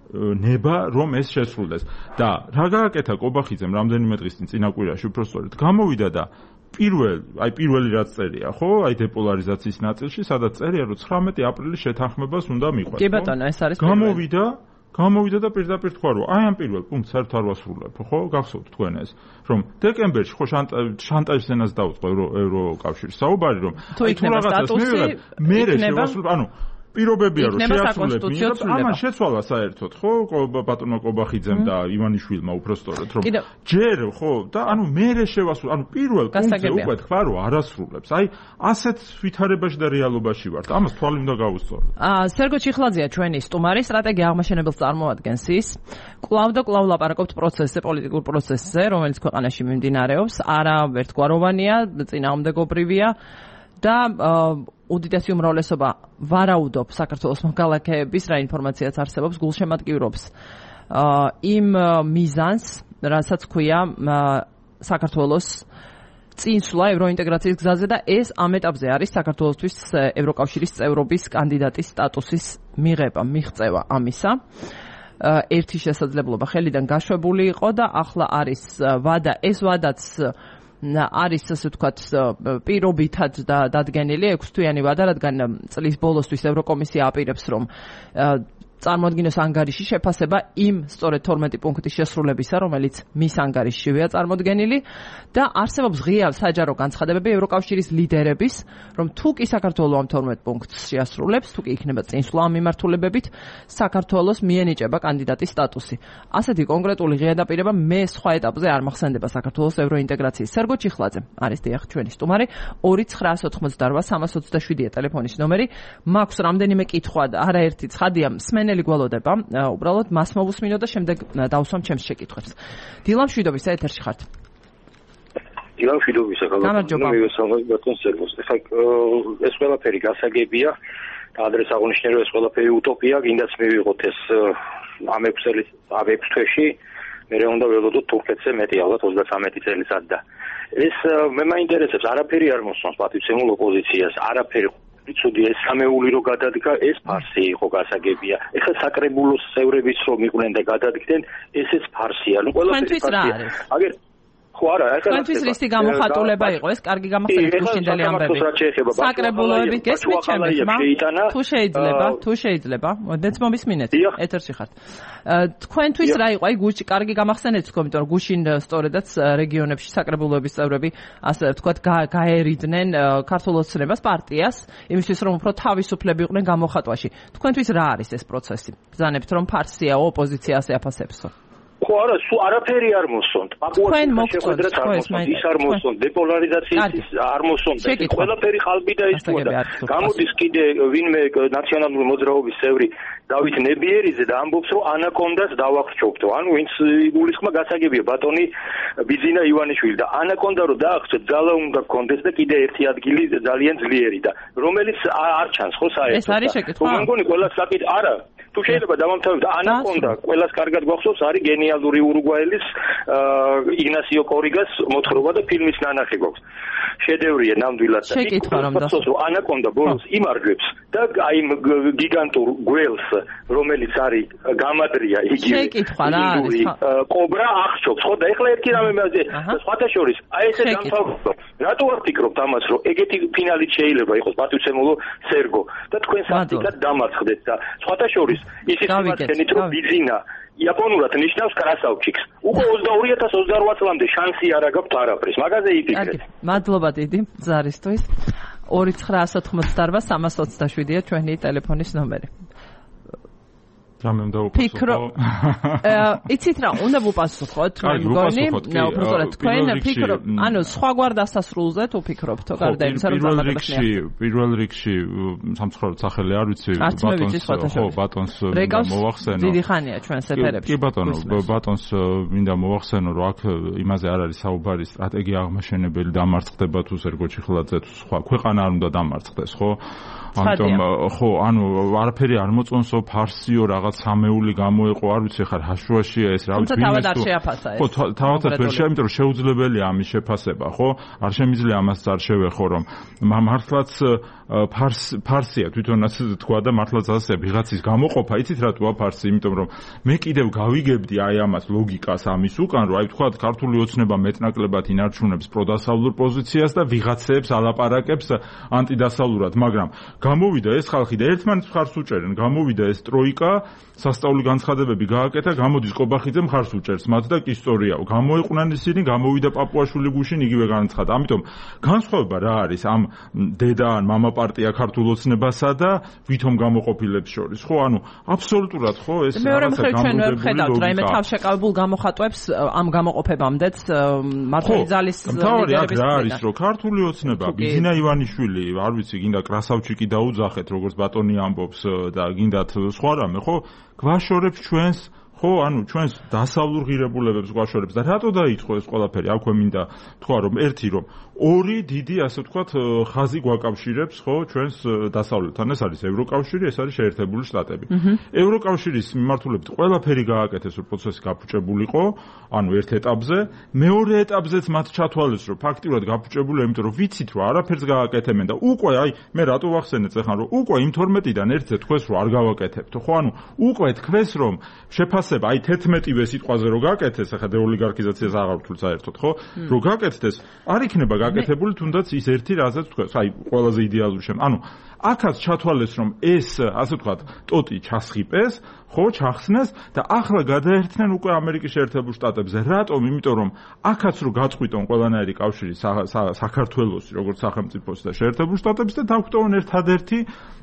ნება რომ ეს შესრულდეს. და რა გააკეთა კობახიძემ რამდენიმე დღის წინ წინა კვირაში უბრალოდ გამოვიდა და პირველ, აი პირველი რაც წერია, ხო? აი დეპოლარიზაციის ნაწილში, სადაც წერია, რომ ცხრამეტი აპრილის შეთანხმებას უნდა მიყვეს. კი ბატონო, ეს არის გამოვიდა, გამოვიდა და პირდაპირ თქვა, რომ აი ამ პირველ პუნქტს საერთოდ არ ვასრულებ, ხო? გახსოვთ თქვენ ეს, რომ დეკემბერში ხო შანტაჟის ენას დაუწყო ევროკავშირის საუბარი, რომ აი თუ რაღაცას მივიღებ, მე შევასრულებ, ანუ პირობებია რომ შეასრულებ მინდობს, ამან შეცვალა საერთოდ, ხო, ბატონო კობახიძემ და ივანიშვილმა უბრალოდ რომ ჯერ ხო და ანუ მე შევასრულებ, ანუ პირველ პუნქტზე უკვე თქვა რომ არასრულებს. აი ასეთ ვითარებაში და რეალობაში ვართ. ამას თვალი უნდა გავუსწოროთ. აა სერგო ჩიხლაძეა ჩვენი სტუმარი, სტრატეგია აღმაშენებელს წარმოადგენს ის. კვლავ და კვლავ ლაპარაკობთ პროცესზე, პოლიტიკურ პროცესზე, რომელიც ქვეყანაში მიმდინარეობს, არა ერთგვაროვანია, წინააღმდეგობრივია და უდიდესი უმრავლესობა ვარაუდობ საქართველოს მოქალაქეების რა ინფორმაციაც არსებობს, გულშემატკივრობს იმ მიზანს, რასაც ქვია საქართველოს წინსვლა ევროინტეგრაციის გზაზე და ეს ამ ეტაპზე არის საქართველოსთვის ევროკავშირის წევრობის კანდიდატის სტატუსის მიღება, მიღწევა ამისა. ერთი შესაძლებლობა ხელიდან გაშვებული იყო და ახლა არის ვადა, ეს ვადაც არის ასე ვთქვათ პირობითად დადგენილი ექვსთვიანი ვადა, რადგან წლის ბოლოსთვის ევროკომისია აპირებს რომ წარმოადგინოს ანგარიში შეფასება იმ სწორედ თორმეტი პუნქტის შესრულებისა, რომელიც მის ანგარიშშივეა წარმოდგენილი და არსებობს ღია საჯარო განცხადებები ევროკავშირის ლიდერების, რომ თუ კი საქართველო ამ თორმეტ პუნქტს შეასრულებს, თუ კი იქნება წინსვლა ამ მიმართულებებით, საქართველოს მიენიჭება კანდიდატის სტატუსი. ასეთი კონკრეტული ღია დაპირება მე სხვა ეტაპზე არ მახსენდება საქართველოს ევროინტეგრაციის. სერგო ჩიხლაძე არის დიახ ჩვენი სტუმარი, ორი ცხრაას ოცდაოთხმოცდარბა სამას ოცდაშვიდია ტელეფონის ნომერი. მაქვს რამდენიმე კითხვა და არაერთი ცხადია სმენელი გველოდება, უბრალოდ მას მოვუსმინო და შემდეგ დავსვამ ჩემს შეკითხვებს. დილა მშვიდობის ეთერში ხართ. დილა მშვიდობის ახლა მივესალმებ ბატონ სერგოს. ეხლა ეს ყველაფერი გასაგებია და ადრეს აღნიშნე რომ ეს ყველაფერი უტოპია, გინდაც მივიღოთ ეს ამ ექვს წელი ამ ექვს თვეში, მერე უნდა ველოდოთ თურქეთზე მეტი ალბათ ოცდათვრამეტი წელიწად და ეს მე მაინტერესებს, არაფერი არ მოსწონს პატივცემულ ოპოზიციას, არაფერი ცუდი ეს სამეული რო გადადგა, ეს ფარსი იყო გასაგებია. ეხლა საკრებულოს წევრებიც რომ იყვნენ და გადადგდნენ, ესეც ფარსია. ნუ ყველაფერი ფარსია. აგერ ხო არა, ეხლა თქვენთვის რისტი გამოხატულება იყო ეს, კარგი გამახსენეთ გუშინდელი ამბები. საკრებულოები გესმით ჩემი ხმა? თუ შეიძლება, თუ შეიძლება, მოდეც მომისმინეთ, ეთერში ხართ. თქვენთვის რა იყო, აი გუშინ კარგი გამახსენეთ თქვენ, იმიტომ რომ გუშინ სწორედაც რეგიონებში საკრებულოების წევრები, ასე ვთქვათ, გაერიდნენ ქართულ ოცნებას, პარტიას, იმისთვის რომ უფრო თავისუფლები იყვნენ გამოხატვაში. თქვენთვის რა არის ეს პროცესი? ბრძანებთ რომ ფარსია ოპოზიცია ასე აფასებსო. ხო არა, სულ არაფერი არ მოსონთ. თქვენ მოგწონთ, ის არ მოსონთ, დეპოლარიზაციის არ მოსონთ. ყველაფერი ხალბი და ისწვდა. გამოდის კიდე ვინმე ნაციონალური მოძრაობის წევრი დავით ნებიერიძე და ამბობს, რომ ანაკონდას დავახშობთო. ანუ ვინც იგულისხმა გასაგებია ბატონი ბიძინა ივანიშვილი და ანაკონდა რომ დაახშოთ, ძალა უნდა გქონდეს და კიდე ერთი ადგილი ძალიან ძლიერი და რომელიც არ ჩანს ხო საერთოდ. ეს არის შეკითხვა. მე მგონი ყველა საკითხი არა თუ შეიძლება დავამთავროთ ანაკონდა ყველას კარგად გვახსოვს არის გენიალური ურუგვაელის იგნასიო კორიგას მოთხრობა და ფილმის ნანახი გვაქვს შედევრია ნამდვილად და შეკითხვა რომ დასწოს ანაკონდა ბოლოს იმარჯვებს და აი გიგანტურ გველს რომელიც არის გამადრია იგი შეკითხვა რა არის კობრა ახშობს ხო და ეხლა ერთი რამე მეძე სხვათა შორის აი ესე დამთავრდა რატო არ ფიქრობთ ამას რომ ეგეთი ფინალი შეიძლება იყოს პატივცემულო სერგო და თქვენ საფრთხად დამარცხდეთ და სხვათა შორის ისიც იმათენით რომ ბიზინა იაპონურად ნიშნავს კრასავჩიკს. უკვე ოცდაორი ათას ოცდაოთხ წლამდე შანსი არ აქვს არაფრის. მაგაზე იფიქრეთ. მადლობა დიდი ზარისთვის. ორი ცხრა ათს ოცდაოთხ სამას ოცდაშვიდია ჩვენი ტელეფონის ნომერი. რამე უნდა უპასუხო? იცით რა, უნდა ვუპასუხოთ, მე მგონი, უბრალოდ თქვენ ფიქრობ, ანუ სხვაგვარ დასასრულზე თუ ფიქრობთო, გარდა იმისა, რომ დამატებაში. პირველ რიგში სამწუხაროდ სახელი არ ვიცი, ბატონს, ხო, ბატონს მოვახსენო. დიდი ხანია ჩვენს ეთერებში. კი ბატონო, ბატონს მინდა მოვახსენო, რომ აქ იმაზე არ არის საუბარი, სტრატეგია აღმაშენებელი დამარცხდება თუ სერგო ჩიხლაძე თუ სხვა, ქვეყანა არ უნდა დამარცხდეს, ხო? ამიტომ ხო, ანუ არაფერი არ მოწონსო, ფარსიო რაღაც სამეული გამოეყო, არ ვიცი ხარ ჰაშუაშია ეს რა ვიცი ბინეს თუ ხო თავადაც ვერ შეა, იმიტომ რომ შეუძლებელია ამის შეფასება, ხო? არ შემიძლია ამას არ შევეხო, რომ მართლაც ფარს ფარსია თვითონაც თქვა და მართლაც ასე ვიღაცის გამოყოფა, იცით რატოა ფარსი, იმიტომ რომ მე კიდევ გავიგებდი აი ამას ლოგიკას ამის უკან, რომ აი თქვა ქართული ოცნება მეტნაკლებად ინარჩუნებს პროდასავლურ პოზიციას და ვიღაცებს ალაპარაკებს ანტიდასავლურად, მაგრამ გამოვიდა ეს ხალხი და ერთმანეთს მხარს უჭერენ, გამოვიდა ეს ტროიკა, სასწაული განცხადებები გააკეთა, გამოდის ყობახიძე მხარს უჭერს მათ და კი სწორიაო. გამოეყვნენ ისინი, გამოვიდა პაპუაშვილი გუშინ იგივე განცხადა. ამიტომ განსხვავება რა არის ამ დედა ან მამა პარტია ქართულ ოცნებასა და ვითომ გამოყოფილებს შორის, ხო? ანუ აბსოლუტურად ხო ეს რაღაცა გამოდებული ხედავთ, რაიმე თავშეკავებულ გამოხატვებს ამ გამოყოფებამდეც მართალი ძალის ლიდერების რა არის, რომ ქართული ოცნება ბიზინა ივანიშვილი, არ ვიცი, გინდა კრასავჩიკი დაუძახეთ, როგორც ბატონი ამბობს და გინდათ სხვა რამე, ხო? გვაშორებს ჩვენს ხო, ანუ ჩვენს დასავლურ ღირებულებებს გვაშორებს და რატო დაიწყო ეს ყველაფერი? აქვე მინდა თქვა, რომ ერთი რომ ორი დიდი, ასე ვთქვათ, ხაზი გვაკავშირებს, ხო, ჩვენს დასავლეთთან. ეს არის ევროკავშირი, ეს არის შეერთებული შტატები. ევროკავშირის მიმართულებით ყველაფერი გააკეთეს, რომ პროცესი გაფუჭებულიყო, ანუ ერთ ეტაპზე, მეორე ეტაპზეც მათ ჩათვალეს, რომ ფაქტიურად გაფუჭებულია, იმიტომ რომ ვიცით, რომ არაფერს გააკეთებენ და უკვე აი მე რატო ვახსენეთ ახლა, რომ უკვე იმ თორმეტიდან ერთზე თქვეს, რომ არ გავაკეთებთ, ხო, ანუ უკვე თქვეს, რომ შეფასება აი თერთმეტივე სიტყვაზე რო გაკეთეს, ახლა დეოლიგარქიზაციას აღარ ვთვლ საერთოდ, ხო? რო გაკეთდეს, არ იქნება გაკეთებული თუნდაც ის ერთი რაზეც თქვენ, აი ყველაზე იდეალური შემ. ანუ აქაც ჩათვალეს, რომ ეს, ასე ვთქვათ, ტოტი ჩასხიპეს, ხო, ჩახსნეს და ახლა გადაერთნენ უკვე ამერიკის შეერთებულ შტატებზე. რატომ? იმიტომ რომ აქაც რო გაწყვიტონ ყველანაირი კავშირი საქართველოსი, როგორც სახელმწიფოს და შეერთებულ შტატებს და დაგვტოვონ ერთადერთი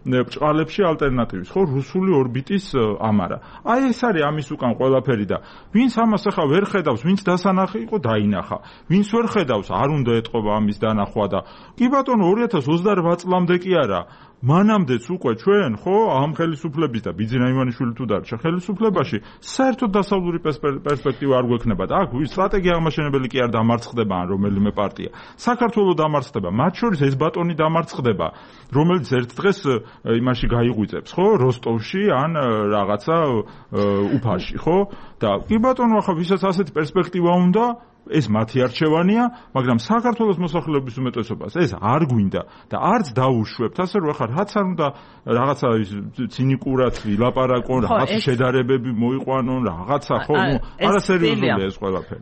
ბჭყალებში ალტერნატივის, ხო, რუსული ორბიტის ამარა. აი ეს არის ამის უკან ყველაფერი და ვინც ამას ახლა ვერ ხედავს, ვინც დასანახი იყო, დაინახა. ვინც ვერ ხედავს, არ უნდა ეთყობა ამის დანახვა და კი ბატონო ორი ათას ოცდარვა წლამდე კი არა. მანამდეც უკვე ჩვენ, ხო, ამ ხელისუფლების და ბიძინა ივანიშვილი თუ დარჩა ხელისუფლებაში, საერთოდ დასავლური პერსპექტივა არ გვექნება და აქ სტრატეგია აღმაშენებელი კი არ დამარცხდება ან რომელიმე პარტია. საქართველოს დამარცხდება, მათ შორის ეს ბატონი დამარცხდება, რომელიც ერთ დღეს იმაში გაიღვიძებს, ხო, როსტოვში ან რაღაცა უფაში, ხო? და კი ბატონო, ახლა ვისაც ასეთი პერსპექტივა უნდა ეს მათი არჩევანია, მაგრამ საქართველოს მოსახლეობის უმეტესობას ეს არ გვინდა და არც დაუშვებთ, ასე რომ ახლა რაც არ უნდა რაღაცა ცინიკურად ვილაპარაკონ, რაღაც შედარებები მოიყვანონ, რაღაცა ხო, ნუ არასერიოზულია ეს ყველაფერი.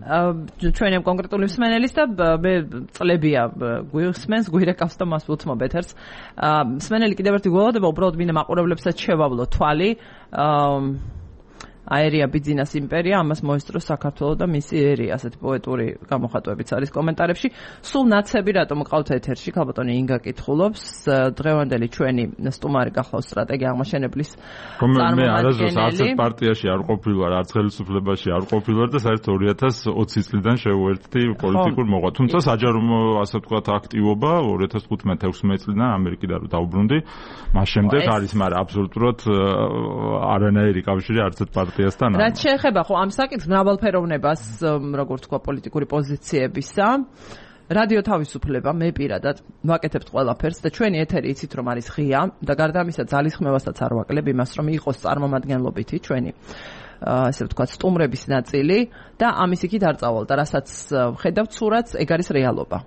ჩვენი კონკრეტული მსმენელის და მე წლებია გვიხსმენს, გვირეკავს და მას უთმობ ეთერს. მსმენელი კიდევ ერთი გველოდება, უბრალოდ მინდა მაყურებლებსაც შევავლო თვალი. აერია ბიძინას იმპერია, ამას მოესწრო საქართველო და მისი ერი, ასეთი პოეტური გამოხატვებიც არის კომენტარებში. სულ ნაცები რატომ ყავთ ეთერში? ქალბატონი ინგა კითხულობს, დღევანდელი ჩვენი სტუმარი გახლავს სტრატეგია აღმაშენებლის წარმომადგენელი. მე არასდროს არც პარტიაში არ ყოფილვარ, არც ხელისუფლებაში არ ყოფილვარ და საერთოდ ორი ათას ოცი წლიდან შევუერთდი პოლიტიკურ მოღვაწ. თუმცა საჯარო ასე ვთქვათ აქტივობა ორი ათას თხუთმეტ ექვსმეტ წლიდან ამერიკიდან რო დაუბრუნდი, მას შემდეგ არის, მაგრამ აბსოლუტურად არანაირი კავშირი არც ერთ პარტიასთან. რაც შეეხება ხო ამ საკითხს მრავალფეროვნებას, როგორც თქვა პოლიტიკური პოზიციებისა, რადიო თავისუფლება მე პირადად ვაკეთებთ ყველაფერს და ჩვენი ეთერი იცით რომ არის ღია და გარდა ამისა ძალისხმევასაც არ ვაკლებ იმას რომ იყოს წარმომადგენლობითი ჩვენი ასე ვთქვათ სტუმრების ნაწილი და ამის იქით არ წავალ და რასაც ხედავთ სურათს ეგ არის რეალობა.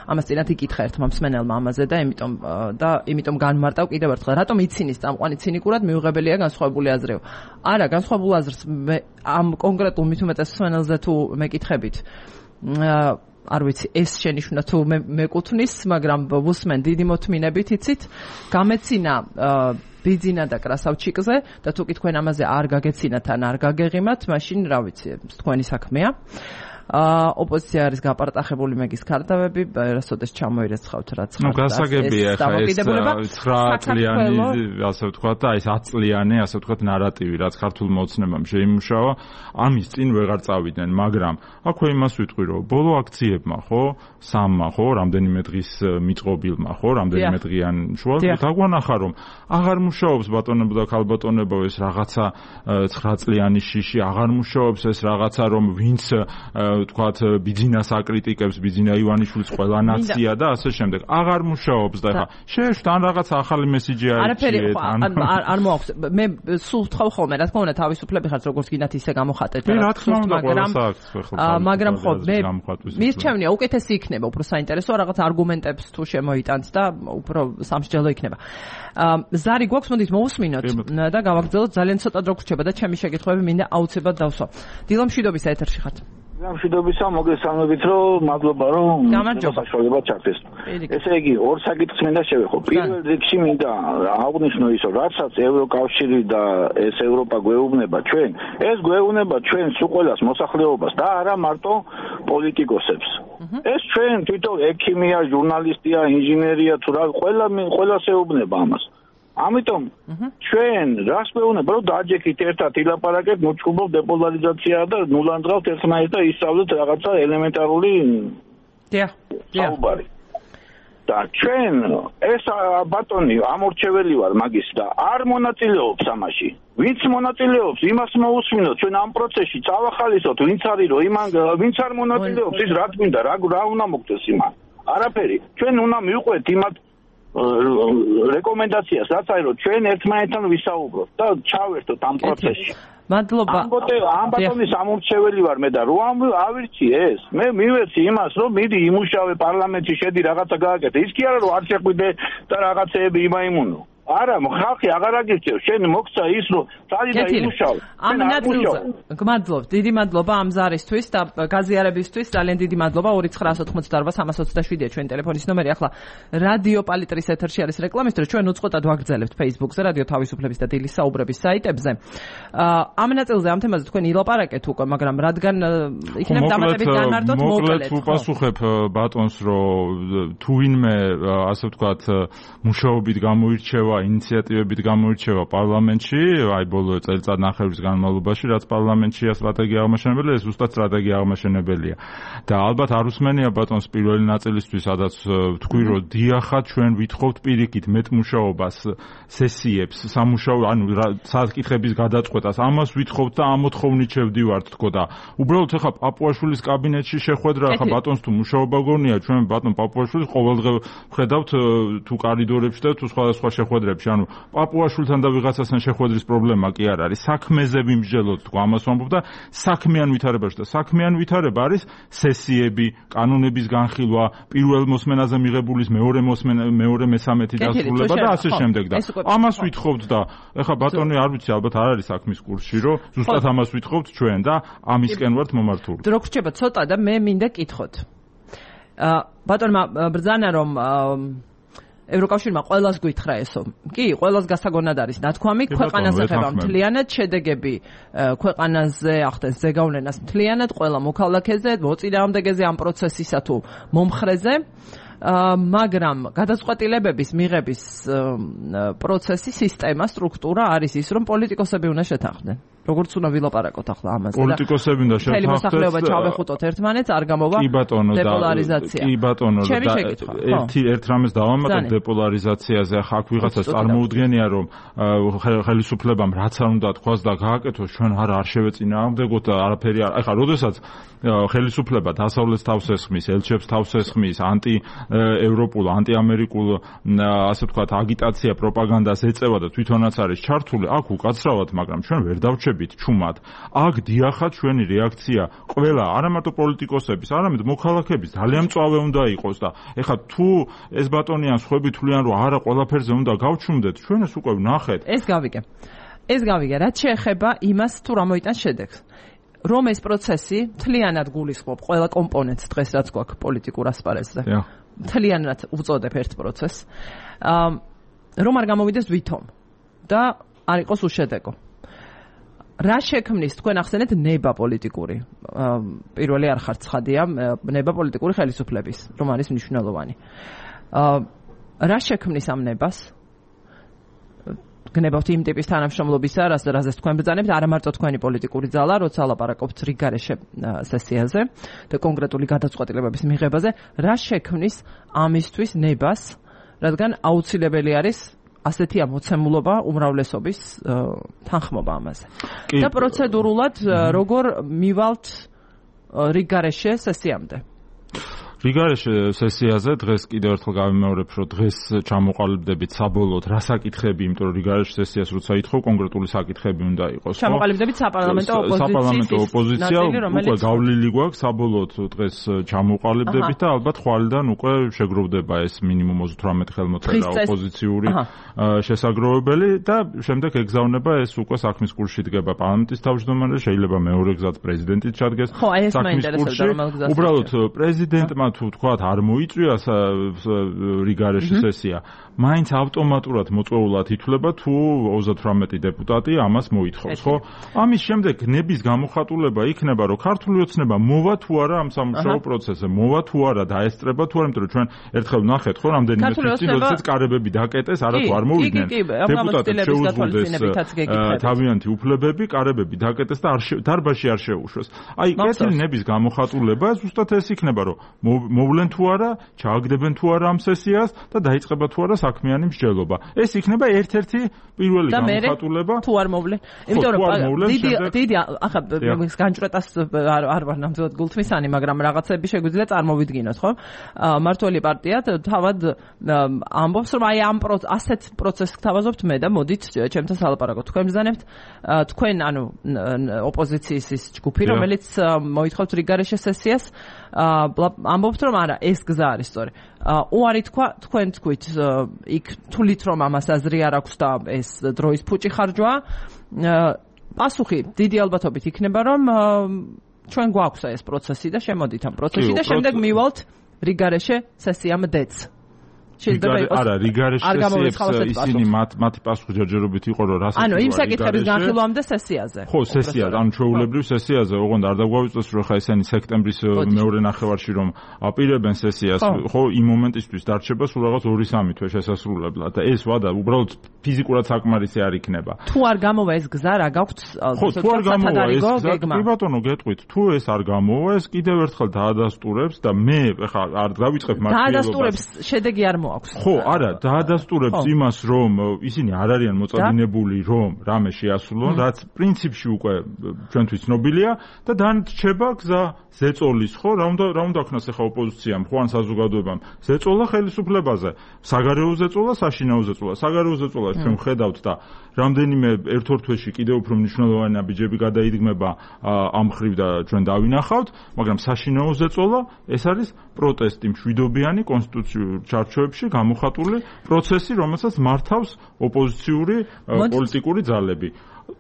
ამას წინათ იკითხა ერთმა მსმენელმა ამაზე და იმიტომ და იმიტომ განმარტავ კიდევ ერთხელ რატომ იცინის წამყვანი ცინიკურად მიუღებელია განსხვავებული აზრეო. არა, განსხვავებულ აზრს ამ კონკრეტულ მით უმეტეს მსმენელზე თუ მეკითხებით არ ვიცი ეს შენიშვნა თუ მეკუთვნის, მაგრამ ვუსმენ დიდი მოთმინებით იცით, გამეცინა ბიძინა და კრასავჩიკზე და თუ კი თქვენ ამაზე არ გაგეცინათ ან არ გაგეღიმათ, მაშინ რა ვიცი, თქვენი საქმეა. ოპოზიცია არის გაპარტახებული მეგის ქარდავები, რასოდეს ჩამოირეცხავთ რაც ხარ. ნუ გასაგებია ხა ეს ცხრა წლიანი, ასე ვთქვათ და ეს ათ წლიანი, ასე ვთქვათ ნარატივი, რაც ქართულ მოცნებამ შეიმუშავა, ამის წინ ვეღარ წავიდნენ, მაგრამ აქვე იმას ვიტყვი, რომ ბოლო აქციებმა, ხო, სამმა, ხო, რამდენიმე დღის მიწყობილმა, ხო, რამდენიმე დღიან შუა დაგვანახა, რომ აღარ მუშაობს ბატონებო და ქალბატონებო ეს რაღაცა ცხრა წლიანი შიში, აღარ მუშაობს ეს რაღაცა, რომ ვინც ვთქვათ ბიძინას აკრიტიკებს, ბიძინა ივანიშვილის ყველა ნაცია და ასე შემდეგ. აღარ მუშაობს და ხა შეეშვთ ან რაღაცა ახალი მესიჯი აიჭიეთ ან არ მოაქვს. მე სულ ვთხოვ ხოლმე, რა თქმა უნდა თავისუფლები ხართ როგორც გინდათ ისე გამოხატეთ, მაგრამ მაგრამ ხო მე მირჩევნია უკეთესი იქნება, უფრო საინტერესო რაღაც არგუმენტებს თუ შემოიტანთ და უფრო სამსჯელო იქნება. ზარი გვაქვს, მოდით მოусმინოთ და გავაგრძელოთ, ძალიან ცოტა დრო გრჩება და ჩემი შეკითხვები მინდა აუცილებლად დავსვა. დილო მშვიდობისა ეთერში ხართ. მშვიდობისა, მოგესალმებით, რომ მადლობა რომ საშუალება ჩართეს. ესე იგი, ორ საკითხს მინდა შევეხო. პირველ რიგში მინდა აღვნიშნო ის, რომ რასაც ევროკავშირი და ეს ევროპა გვეუბნება ჩვენ, ეს გვეუბნება ჩვენს უყველას მოსახლეობას და არა მარტო პოლიტიკოსებს. ეს ჩვენ თვითონ ექიმია, ჟურნალისტია, ინჟინერია თუ რა, ყველა ყველას ეუბნება ამას. ამიტომ ჩვენ რას მეუბნება, რომ დაჯექით ერთად ილაპარაკეთ, მოჭუბობ დეპოლარიზაცია და ნულანძღავთ ერთმანეთს და ისწავლეთ რაღაცა ელემენტარული საუბარი. და ჩვენ ეს ბატონი ამორჩეველი ვარ მაგის და არ მონაწილეობს ამაში. ვინც მონაწილეობს, იმას მოусმინოთ, ჩვენ ამ პროცესში წავახალისოთ, ვინც არის რომ იმან ვინც არ მონაწილეობს, ის რა გვინდა, რა რა უნდა მოგწეს იმან. არაფერი. ჩვენ უნდა მივყვეთ იმათ რეკომენდაციას, რაც არის რომ ჩვენ ერთმანეთთან ვისაუბროთ და ჩავერთოთ ამ პროცესში. მადლობა. ამ ბატონის ამორჩეველი ვარ მე და რო ავირჩი ეს. მე მივეცი იმას, რომ მიდი იმუშავე პარლამენტში, შედი რაღაცა გააკეთე. ის კი არა რომ არ შეხვიდე და რაღაცეები იმაიმუნო. არა, ხალხი აღარ აგირჩევს, შენ მოგცა ის რომ წალი და იმუშავე. ამ ნაწილზე გმადლობთ, დიდი მადლობა ამ ზარისთვის და გაზიარებისთვის, ძალიან დიდი მადლობა. ორი ცხრა ათოთხმოცდაარბა სამას ოცდაშვიდია ჩვენი ტელეფონის ნომერი. ახლა რადიო პალიტრის ეთერში არის რეკლამის დრო, ჩვენ უწყოტად ვაგრძელებთ Facebook-ზე, რადიო თავისუფლების და დილის საუბრების საიტებზე. ამ ნაწილზე ამ თემაზე თქვენ ილაპარაკეთ უკვე, მაგრამ რადგან იქნებ დამატებით განმარტოთ, მოკლედ ვუპასუხებ ბატონს, რომ თუ ვინმე ასე ვთქვათ მუშაობით გამოირჩევა, ინიციატივებით გამოირჩევა პარლამენტში, აი ბოლო წელიწადნახევრის განმავლობაში, რაც პარლამენტშია სტრატეგია აღმაშენებელია, ეს უბრალოდ სტრატეგია აღმაშენებელია. და ალბათ არ უსმენია ბატონს პირველი ნაწილისთვის, სადაც ვთქვი, რომ დიახაც ჩვენ ვითხოვთ პირიქით მეტმუშაობას, სესიებს, სამუშაო, ანუ საკითხების გადაწყვეტას, ამას ვითხოვთ და ამოთხოვნით შევდივართ თქო და უბრალოდ ახლა პაპუაშვილის კაბინეტში შეხვედრა, ახლა ბატონს თუ მუშაობა გონია, ჩვენ ბატონ პაპუაშვილის ყოველდღე ვხედავთ თუ კარიდორებში და თუ სხვადასხვა შეხვედრები სფეროებში, ანუ პაპუაშვილთან და ვიღაცასთან შეხვედრის პრობლემა კი არ არის, საქმეზე ვიმსჯელოთ თქო, ამას ვამბობ და საქმიან ვითარებაში და საქმიან ვითარება არის სესიები, კანონების განხილვა, პირველ მოსმენაზე მიღებულის მეორე მოსმენა, მეორე მესამეთი დასრულება და ასე შემდეგ და ამას ვითხოვთ და ეხლა ბატონი არ ვიცი, ალბათ არ არის საქმის კურსში, რომ ზუსტად ამას ვითხოვთ ჩვენ და ამისკენ ვართ მომართული. რო გრჩება ცოტა და მე მინდა კითხოთ. ბატონმა ბრძანა რომ ევროკავშირმა ყველას გვითხრა ესო. კი, ყველას გასაგონად არის ნათქვამი, ქვეყანას ეხება მთლიანად შედეგები, ქვეყანაზე ახდენს ზეგავლენას მთლიანად, ყველა მოქალაქეზე, მოწინააღმდეგეზე ამ პროცესისა თუ მომხრეზე. მაგრამ გადაწყვეტილებების მიღების პროცესი, სისტემა, სტრუქტურა არის ის, რომ პოლიტიკოსები უნდა შეთანხმდნენ. როგორც უნდა ვილაპარაკოთ ახლა ამაზე. პოლიტიკოსები უნდა შეთანხმდნენ. მთელი მოსახლეობა ჩავეხუტოთ ერთმანეთს, არ გამოვა დეპოლარიზაცია. კი ბატონო, და ერთი ერთ რამეს დავამატებ დეპოლარიზაციაზე, ახლა აქ ვიღაცას წარმოუდგენია, რომ ხელისუფლებამ რაც არ უნდა თქვას და გააკეთოს, ჩვენ არ არ შევეწინააღმდეგოთ და არაფერი არ. ახლა როდესაც ხელისუფლება დასავლეთს თავს ესხმის, ელჩებს თავს ესხმის, ანტი ევროპულ, ანტიამერიკულ, ასე ვთქვათ, აგიტაცია, პროპაგანდას ეწევა და თვითონაც არის ჩართული, აქ უკაცრავად, მაგრამ ჩვენ ვერ დავჩებით ჩუმად. აქ დიახაც ჩვენი რეაქცია ყველა, არა მარტო პოლიტიკოსების, არამედ მოქალაქეების ძალიან მწვავე უნდა იყოს და ეხლა თუ ეს ბატონიან სხვები თვლიან, რომ არა ყველაფერზე უნდა გავჩუმდეთ, ჩვენ ეს უკვე ვნახეთ. ეს გავიგე. ეს გავიგე, რაც შეეხება იმას, თუ რა მოიტანს შედეგს. რომ ეს პროცესი მთლიანად გულისხმობ ყველა კომპონენტს დღეს რაც გვაქვს პოლიტიკურ ასპარეზზე. მთლიანად უწოდებ ერთ პროცესს. რომ არ გამოვიდეს ვითომ და არ იყოს უშედეგო. რა შექმნის თქვენ ახსენეთ ნება პოლიტიკური. პირველი არ ხართ ცხადია, ნება პოლიტიკური ხელისუფლების, რომ არის მნიშვნელოვანი. რა შექმნის ამ ნებას? გნებავთ იმ ტიპის თანამშრომლობისა, რაზეც თქვენ ბრძანებთ, არა მარტო თქვენი პოლიტიკური ძალა, როცა ლაპარაკობთ რიგარეშე სესიაზე და კონკრეტული გადაწყვეტილებების მიღებაზე, რა შექმნის ამისთვის ნებას, რადგან აუცილებელი არის ასეთი ამოცემულობა უმრავლესობის თანხმობა ამაზე. და პროცედურულად როგორ მივალთ რიგარეშე სესიამდე? რიგარეშე სესიაზე დღეს კიდევ ერთხელ გავიმეორებ, რომ დღეს ჩამოყალიბდებით საბოლოოდ რა საკითხები, იმიტომ რომ რიგარეშე სესიას როცა ითხოვ, კონკრეტული საკითხები უნდა იყოს. ჩამოყალიბდებით საპარლამენტო ოპოზიციის საპარლამენტო ოპოზიცია უკვე გავლილი გვაქვს, საბოლოოდ დღეს ჩამოყალიბდებით და ალბათ ხვალიდან უკვე შეგროვდება ეს მინიმუმ ოცდაოთხ ხელმოწერა ოპოზიციური შესაგროვებელი და შემდეგ ეგზავნება ეს უკვე საქმის კურსში დგება პარლამენტის თავმჯდომარე, შეიძლება მეორე გზად პრეზიდენტიც ჩადგეს საქმის კურსში. უბრალოდ პრეზიდენტმა თუ თქვათ არ მოიწვია რიგარეშე სესია, მაინც ავტომატურად მოწვეულად ითვლება თუ ოცდაოთხ დეპუტატი ამას მოითხოვს, ხო? ამის შემდეგ ნების გამოხატულება იქნება, რომ ქართული ოცნება მოვა თუ არა ამ სამუშაო პროცესზე, მოვა თუ არა დაესწრება თუ არა, იმიტომ რომ ჩვენ ერთხელ ვნახეთ, ხო, რამდენიმე თვით წინ როდესაც კარებები დაკეტეს, არა თუ არ მოვიდნენ. დეპუტატებს შეუძლებდეს თავიანთი უფლებები, კარებები დაკეტეს და დარბაზში არ შეუშვეს. აი, კეთილი ნების გამოხატულება ზუსტად ეს იქნება, რომ მოვლენ თუ არა, ჩააგდებენ თუ არა ამ სესიას და დაიწყება თუ არა საქმიანი მსჯელობა. ეს იქნება ერთ-ერთი პირველი გამოხატულება. თუ არ მოვლენ. იმიტომ რომ დიდი დიდი ახლა განჭრეტას არ ვარ ნამდვილად გულთმისანი, მაგრამ რაღაცები შეგვიძლია წარმოვიდგინოთ, ხო? მართველი პარტია თავად ამბობს, რომ აი ამ ასეთ პროცესს გთავაზობთ მე და მოდით ჩემთან სალაპარაკოთ. თქვენ ბრძანებთ, თქვენ ანუ ოპოზიციის ის ჯგუფი, რომელიც მოითხოვთ რიგარეშე სესიას, ამბობთ რომ არა, ეს გზა არის სწორი. უარი თქვა, თქვენ თქვით, იქ თulit რომ ამას აზრი არ აქვს და ეს დროის ფუჭი ხარჯვა. პასუხი დიდი ალბათობით იქნება, რომ ჩვენ გვაქვს ეს პროცესი და შემოდით ამ პროცესში და შემდეგ მივალთ რიგარეშე სესიამდეც. არა, რიგარეშე სესიებს ისინი მათი პასუხი ჯერჯერობით იყო, რომ რასაც ანუ იმ საკითხების განხილვამდე სესიაზე. ხო, სესიაზე, ანუ ჩვეულებრივ სესიაზე, ოღონდ არ დაგვავიწოს, რომ ხა ესენი სექტემბრის მეორე ნახევარში რომ აპირებენ სესიას, ხო, იმ მომენტისთვის დარჩება სულ რაღაც ორი სამი თვე შესასრულებლად და ეს ვადა უბრალოდ ფიზიკურად საკმარისი არ იქნება. თუ არ გამოვა ეს გზა, რა გაქვთ? ხო, თუ არ გამოვა ეს გზა, კი ბატონო, გეტყვით, თუ ეს არ გამოვა, ეს კიდევ ერთხელ დაადასტურებს და მე ხა არ დავიწყებ მართლიერობას. დაადასტურებს, შედეგი არ მოაქვს. აქვს. ხო, არა, დაადასტურებს იმას, რომ ისინი არ არიან მოწადინებული, რომ რამე შეასრულონ, რაც პრინციპში უკვე ჩვენთვის ცნობილია და დანარჩება გზა ზეწოლის, ხო, რა უნდა რა უნდა ქნას ახლა ოპოზიციამ, ხო ან საზოგადოებამ. ზეწოლა ხელისუფლებაზე, საგარეო ზეწოლა, საშინაო ზეწოლა. საგარეო ზეწოლას ჩვენ ვხედავთ და რამდენიმე ერთ-ორ თვეში კიდევ უფრო მნიშვნელოვანი ნაბიჯები გადაიდგმება ამ ხრივ და ჩვენ დავინახავთ, მაგრამ საშინაო ზეწოლა ეს არის პროტესტი მშვიდობიანი კონსტიტუციურ ჩარჩოებში გამოხატული პროცესი, რომელსაც მართავს ოპოზიციური პოლიტიკური ძალები.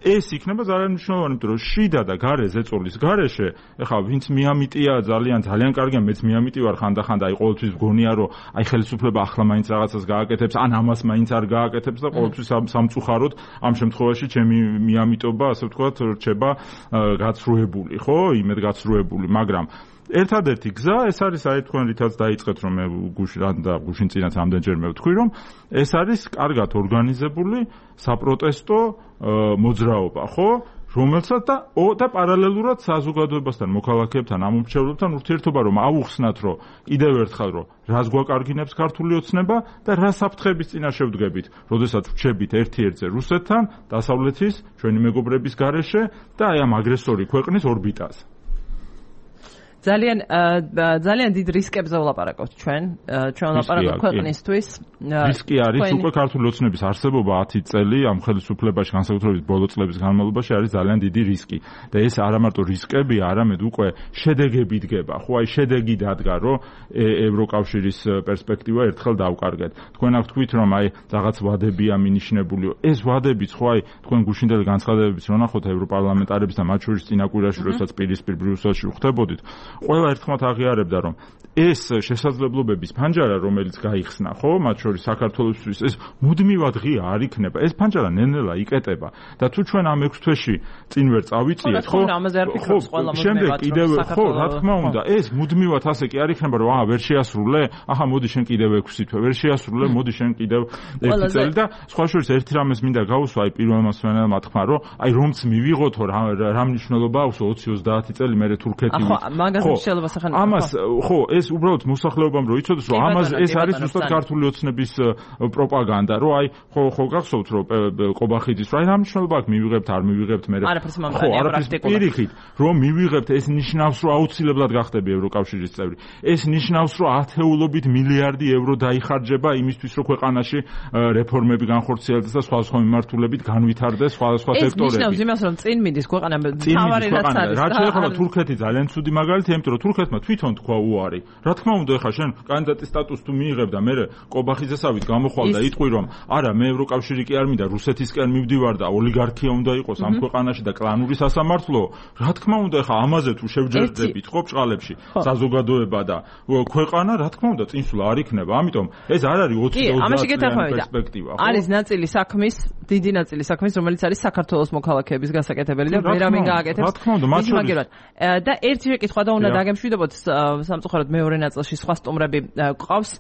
ეს იქნება ძალიან მნიშვნელოვანი, იმიტომ რომ შიდა და გარე ზეწოლის გარეშე, ეხლა ვინც მიამიტია ძალიან ძალიან კარგია, მეც მიამიტი ვარ ხანდახან და აი ყოველთვის გონია რომ აი ხელისუფლება ახლა მაინც რაღაცას გააკეთებს, ან ამას მაინც არ გააკეთებს და ყოველთვის სამწუხაროდ ამ შემთხვევაში ჩემი მიამიტობა, ასე ვთქვათ, რჩება გაცრუებული, ხო, იმედ გაცრუებული, მაგრამ ერთადერთი გზა ეს არის აი თქვენ რითაც დაიწყეთ რომ მე გუშინ და გუშინ წინაც ამდენჯერმე ვთქვი რომ ეს არის კარგად ორგანიზებული საპროტესტო მოძრაობა, ხო? რომელსაც და და პარალელურად საზოგადოებასთან, მოქალაქეებთან, ამომრჩევლებთან ურთიერთობა რომ აუხსნათ, რომ კიდევ ერთხელ რომ რას გვაკარგინებს ქართული ოცნება და რა საფრთხების წინაშე ვდგებით, როდესაც ვჩებით ერთ-ერთზე რუსეთთან, დასავლეთის, ჩვენი მეგობრების გარეშე და აი ამ აგრესორი ქვეყნის ორბიტაზე. ძალიან ძალიან დიდ რისკებზე ვლაპარაკობთ ჩვენ, ჩვენ ვლაპარაკობთ ქვეყნისთვის. რისკი არის უკვე ქართული ოცნების არსებობა ათი წელი ამ ხელისუფლებაში, განსაკუთრებით ბოლო წლების განმავლობაში არის ძალიან დიდი რისკი. და ეს არა მარტო რისკებია, არამედ უკვე შედეგები დგება. ხო, აი შედეგი დადგა, რომ ევროკავშირის პერსპექტივა ერთხელ დავკარგეთ. თქვენ აქ თქვით, რომ აი რაღაც ვადებია მინიშნებულიო. ეს ვადებიც, ხო, აი თქვენ გუშინდელი განცხადებებიც რო ნახოთ ევროპარლამენტარების და მათ შორის წინა კვირაში, როდესაც პირისპირ ბრიუსელში ვხვდებოდით, ყველა ერთხმად აღიარებდა, რომ ეს შესაძლებლობების ფანჯარა, რომელიც გაიხსნა, ხო, მათ შორის საქართველოსთვის, ეს მუდმივად ღია არ იქნება. ეს ფანჯარა ნელ-ნელა იკეტება და თუ ჩვენ ამ ექვს თვეში წინ ვერ წავიწიეთ, ხო, ხო, შემდეგ კიდევ, ხო, რა თქმა უნდა, ეს მუდმივად ასე კი არ იქნება, რომ აა ვერ შეასრულე, ახლა მოდი შენ კიდევ ექვსი თვე, ვერ შეასრულე, მოდი შენ კიდევ ერთი წელი და სხვა შორის ერთი რამეს მინდა გავუსვა, აი პირველმა სვენელმა თქვა, რომ აი რომც მივიღოთო, რა მნიშვნელობა აქვს ოცი ოცდაათი წელი მერე თურქეთი ამას ხო ეს უბრალოდ მოსახლეობამ რო იცოდეს რომ ამას ეს არის ზუსტად ქართული ოცნების პროპაგანდა რომ აი ხო ხო გახსოვთ რომ ყობახიძის რა მნიშვნელობა აქვს მივიღებთ არ მივიღებთ მე ხო არაფერს პირიქით რომ მივიღებთ ეს ნიშნავს რომ აუცილებლად გახდები ევროკავშირის წევრი ეს ნიშნავს რომ ათეულობით მილიარდი ევრო დაიხარჯება იმისთვის რომ ქვეყანაში რეფორმები განხორციელდეს და სხვა სხვა მიმართულებით განვითარდეს სხვა სხვა სექტორები ეს ნიშნავს იმას რომ წინ მიდის ქვეყანა თავარი რაც არის რაც შეეხება თურქეთი ძალიან ცუდი მაგალითია იმიტომ რომ თურქეთმა თვითონ თქვა უარი. რა თქმა უნდა, ეხლა შენ კანდიდატის სტატუსს თუ მიიღებ და მე ყობახიძესავით გამოხვალ და იტყვი რომ არა, მე ევროკავშირი კი არ მინდა, რუსეთისკენ მივდივარ და ოლიგარქია უნდა იყოს ამ ქვეყანაში და კლანური სასამართლო. რა თქმა უნდა, ეხლა ამაზე თუ შევჯერდებით ხო ბჭყალებში საზოგადოება და ქვეყანა, რა თქმა უნდა, წინსვლა არ იქნება. ამიტომ ეს არ არის ოცი ოცდაათი პერსპექტივა. არის ნაწილი საქმის, დიდი ნაწილი საქმის, რომელიც არის საქართველოს მოქალაქეების გასაკეთებელი და ვერავინ გააკეთებს. რა თქმა უნდა, მათ შორის და ერთი შეკითხვა და უნდა დაგემშვიდობოთ სამწუხაროდ მეორე ნაწილში სხვა სტუმრები გვყავს.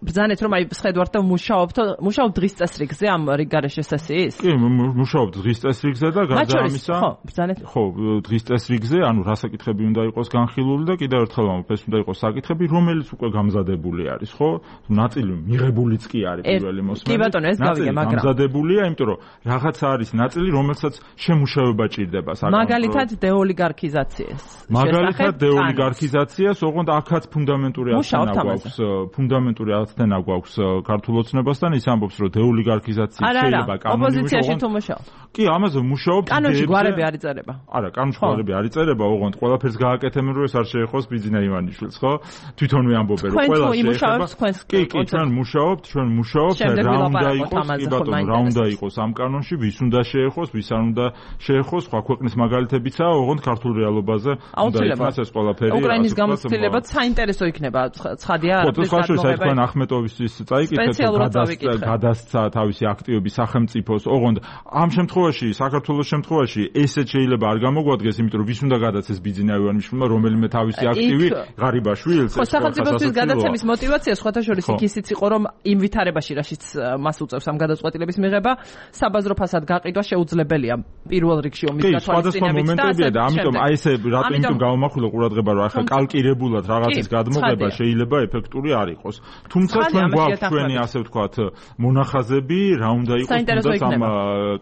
ბრძანეთ რომ აი შედვართ და მუშაობთ მუშაობ დღის წესრიგზე ამ რიგარეშე სესიის? კი, მუშაობ დღის წესრიგზე და გარდა ამისა ხო, ბრძანეთ. ხო, დღის წესრიგზე, ანუ რა საკითხები უნდა იყოს განხილული და კიდევ ერთხელ ვამბობ, ეს უნდა იყოს საკითხები, რომელიც უკვე გამზადებული არის, ხო? ნაწილი მიღებულიც კი არის პირველი მოსმენით. კი ბატონო, ეს გავიგე, მაგრამ გამზადებულია, იმიტომ რომ რაღაცა არის ნაწილი, რომელსაც შემუშავება ჭირდება საკითხი. მაგალითად დეოლიგარქიზაციას. მაგალითად დეოლიგარქიზაციას, ოღონდ აქაც ფუნდამენტური ათენა გვაქვს, ფუნდამენტური ათენა გვაქვს ქართულ ოცნებასთან, ის ამბობს, რომ დეოლიგარქიზაცია შეიძლება კანონში ოპოზიციაში თუ მუშაობ. კი, ამაზე მუშაობ. კანონში გვარები არ იწერება. არა, კანონში გვარები არ იწერება, ოღონდ ყველაფერს გააკეთებენ, რომ ეს არ შეეხოს ბიძინა ივანიშვილს, ხო? თვითონვე ამბობენ, რომ ყველა შეეხება. კი, კი, ჩვენ მუშაობთ, ჩვენ მუშაობთ, რა უნდა იყოს, კი ბატონო, რა უნდა იყოს ამ კანონში, ვის უნდა შეეხოს, ვის არ უნდა შეეხოს, სხვა ქვეყნის მაგალითებიცაა, ოღონდ ქართულ რეალობაზე უნდა იყოს ეს ყველაფერი. უკრაინის გამოცდილებაც საინტერესო იქნება, ცხადია, არის ეს თქვენ ახმეტოვისთვის წაიკითხეთ, გადასცა თავისი აქტივობის სახელმწიფოს, ოღონდ ამ შემთხვევაში, საქართველოს შემთხვევაში ესეც შეიძლება არ გამოგვადგეს, იმიტომ რომ ვის უნდა გადაცეს ბიძინა ივანიშვილმა, რომელიმე თავისი აქტივი ღარიბაშვილს. ხო, სახელმწიფოსთვის გადაცემის мотиваცია სხვათა შორის იქ იყო, რომ იმ ვითარებაში, რაშიც მას უწევს ამ გადაწყვეტილების მიღება, საბაზრო ფასად გაყიდვა შეუძლებელია პირველ რიგში ომის გათვალისწინებით და ამიტომ აი ესე რატომ გამომახ დაახვილა ყურადღება, რომ ახლა კალკირებულად რაღაცის გადმოღება შეიძლება ეფექტური არ იყოს. თუმცა ჩვენ გვაქვს ჩვენი ასე ვთქვათ მონახაზები, რა უნდა იყოს თუნდაც ამ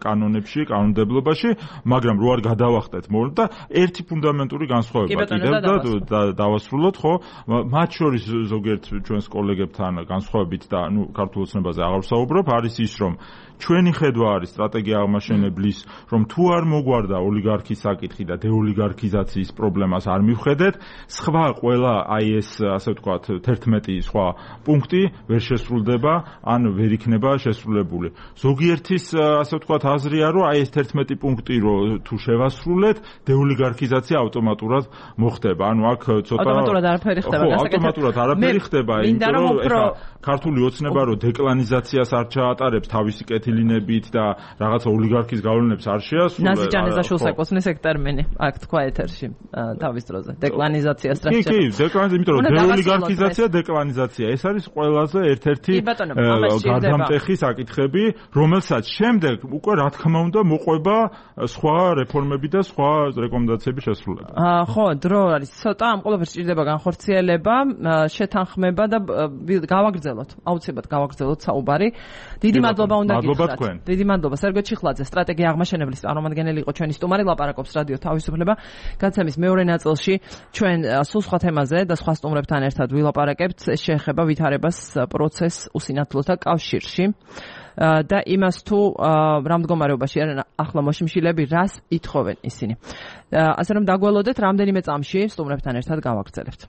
კანონებში, კანონმდებლობაში, მაგრამ რო არ გადავახტეთ მორ და ერთი ფუნდამენტური განსხვავება კიდევ და დავასრულოთ, ხო? მათ შორის ზოგიერთ ჩვენს კოლეგებთან განსხვავებით და ნუ ქართულ ოცნებაზე აღარ ვსაუბრობ, არის ის, რომ ჩვენი ხედვა არის სტრატეგია აღმაშენებლის, რომ თუ არ მოგვარდა ოლიგარქის საკითხი და დეოლიგარქიზაციის პრობლემას არ მივხედეთ, სხვა ყველა აი ეს ასე ვთქვათ თერთმეტი სხვა პუნქტი ვერ შესრულდება, ან ვერ იქნება შესრულებული. ზოგიერთის ასე ვთქვათ აზრია, რომ აი ეს თერთმეტი პუნქტი რო თუ შევასრულეთ, დეოლიგარქიზაცია ავტომატურად მოხდება. ანუ აქ ცოტა ავტომატურად არაფერი ხდება, გასაკეთებ. ავტომატურად არაფერი ხდება, იმიტომ რომ ეხლა ქართული ოცნება რო დეკლანიზაციას არ ჩაატარებს თავისი კეთილინებით და რაღაცა ოლიგარქის გავლენებს არ შეასრულებს. ნაზი ჯანეზაშვილს ეკოსმის ეგ ტერმინი აქ თქვა ეთერში თავის დროზე. დეკლანიზაციას რა შეიძლება. კი, კი, დეკლანიზაცია, იმიტომ რომ დეოლიგარქიზაცია, დეკლანიზაცია, ეს არის ყველაზე ერთ-ერთი გარდამტეხი საკითხები, რომელსაც შემდეგ უკვე რა თქმა უნდა მოყვება სხვა რეფორმები და სხვა რეკომენდაციების შესრულება. ხო, დრო არის ცოტა, ამ ყველაფერს სჭირდება განხორციელება, შეთანხმება და გავაგრძელოთ. აუცილებლად გავაგრძელოთ საუბარი. დიდი მადლობა უნდა გითხრათ. დიდი მადლობა სერგო ჩიხლაძე, სტრატეგია აღმაშენებლის წარმომადგენელი იყო ჩვენი სტუმარი, ლაპარაკობს რადიო თავისუფლება. გადაცემის მეორე ნაწილში ჩვენ სულ სხვა თემაზე და სხვა სტუმრებთან ერთად ვილაპარაკებთ. ეს შეეხება ვითარებას პროცესს უსინათლოთა კავშირში და იმას თუ რა მდგომარეობაში არიან ახლა მოშიმშილები, რას ითხოვენ ისინი. ასე რომ დაგველოდეთ, რამდენიმე წამში სტუმრებთან ერთად გავაგრძელებთ.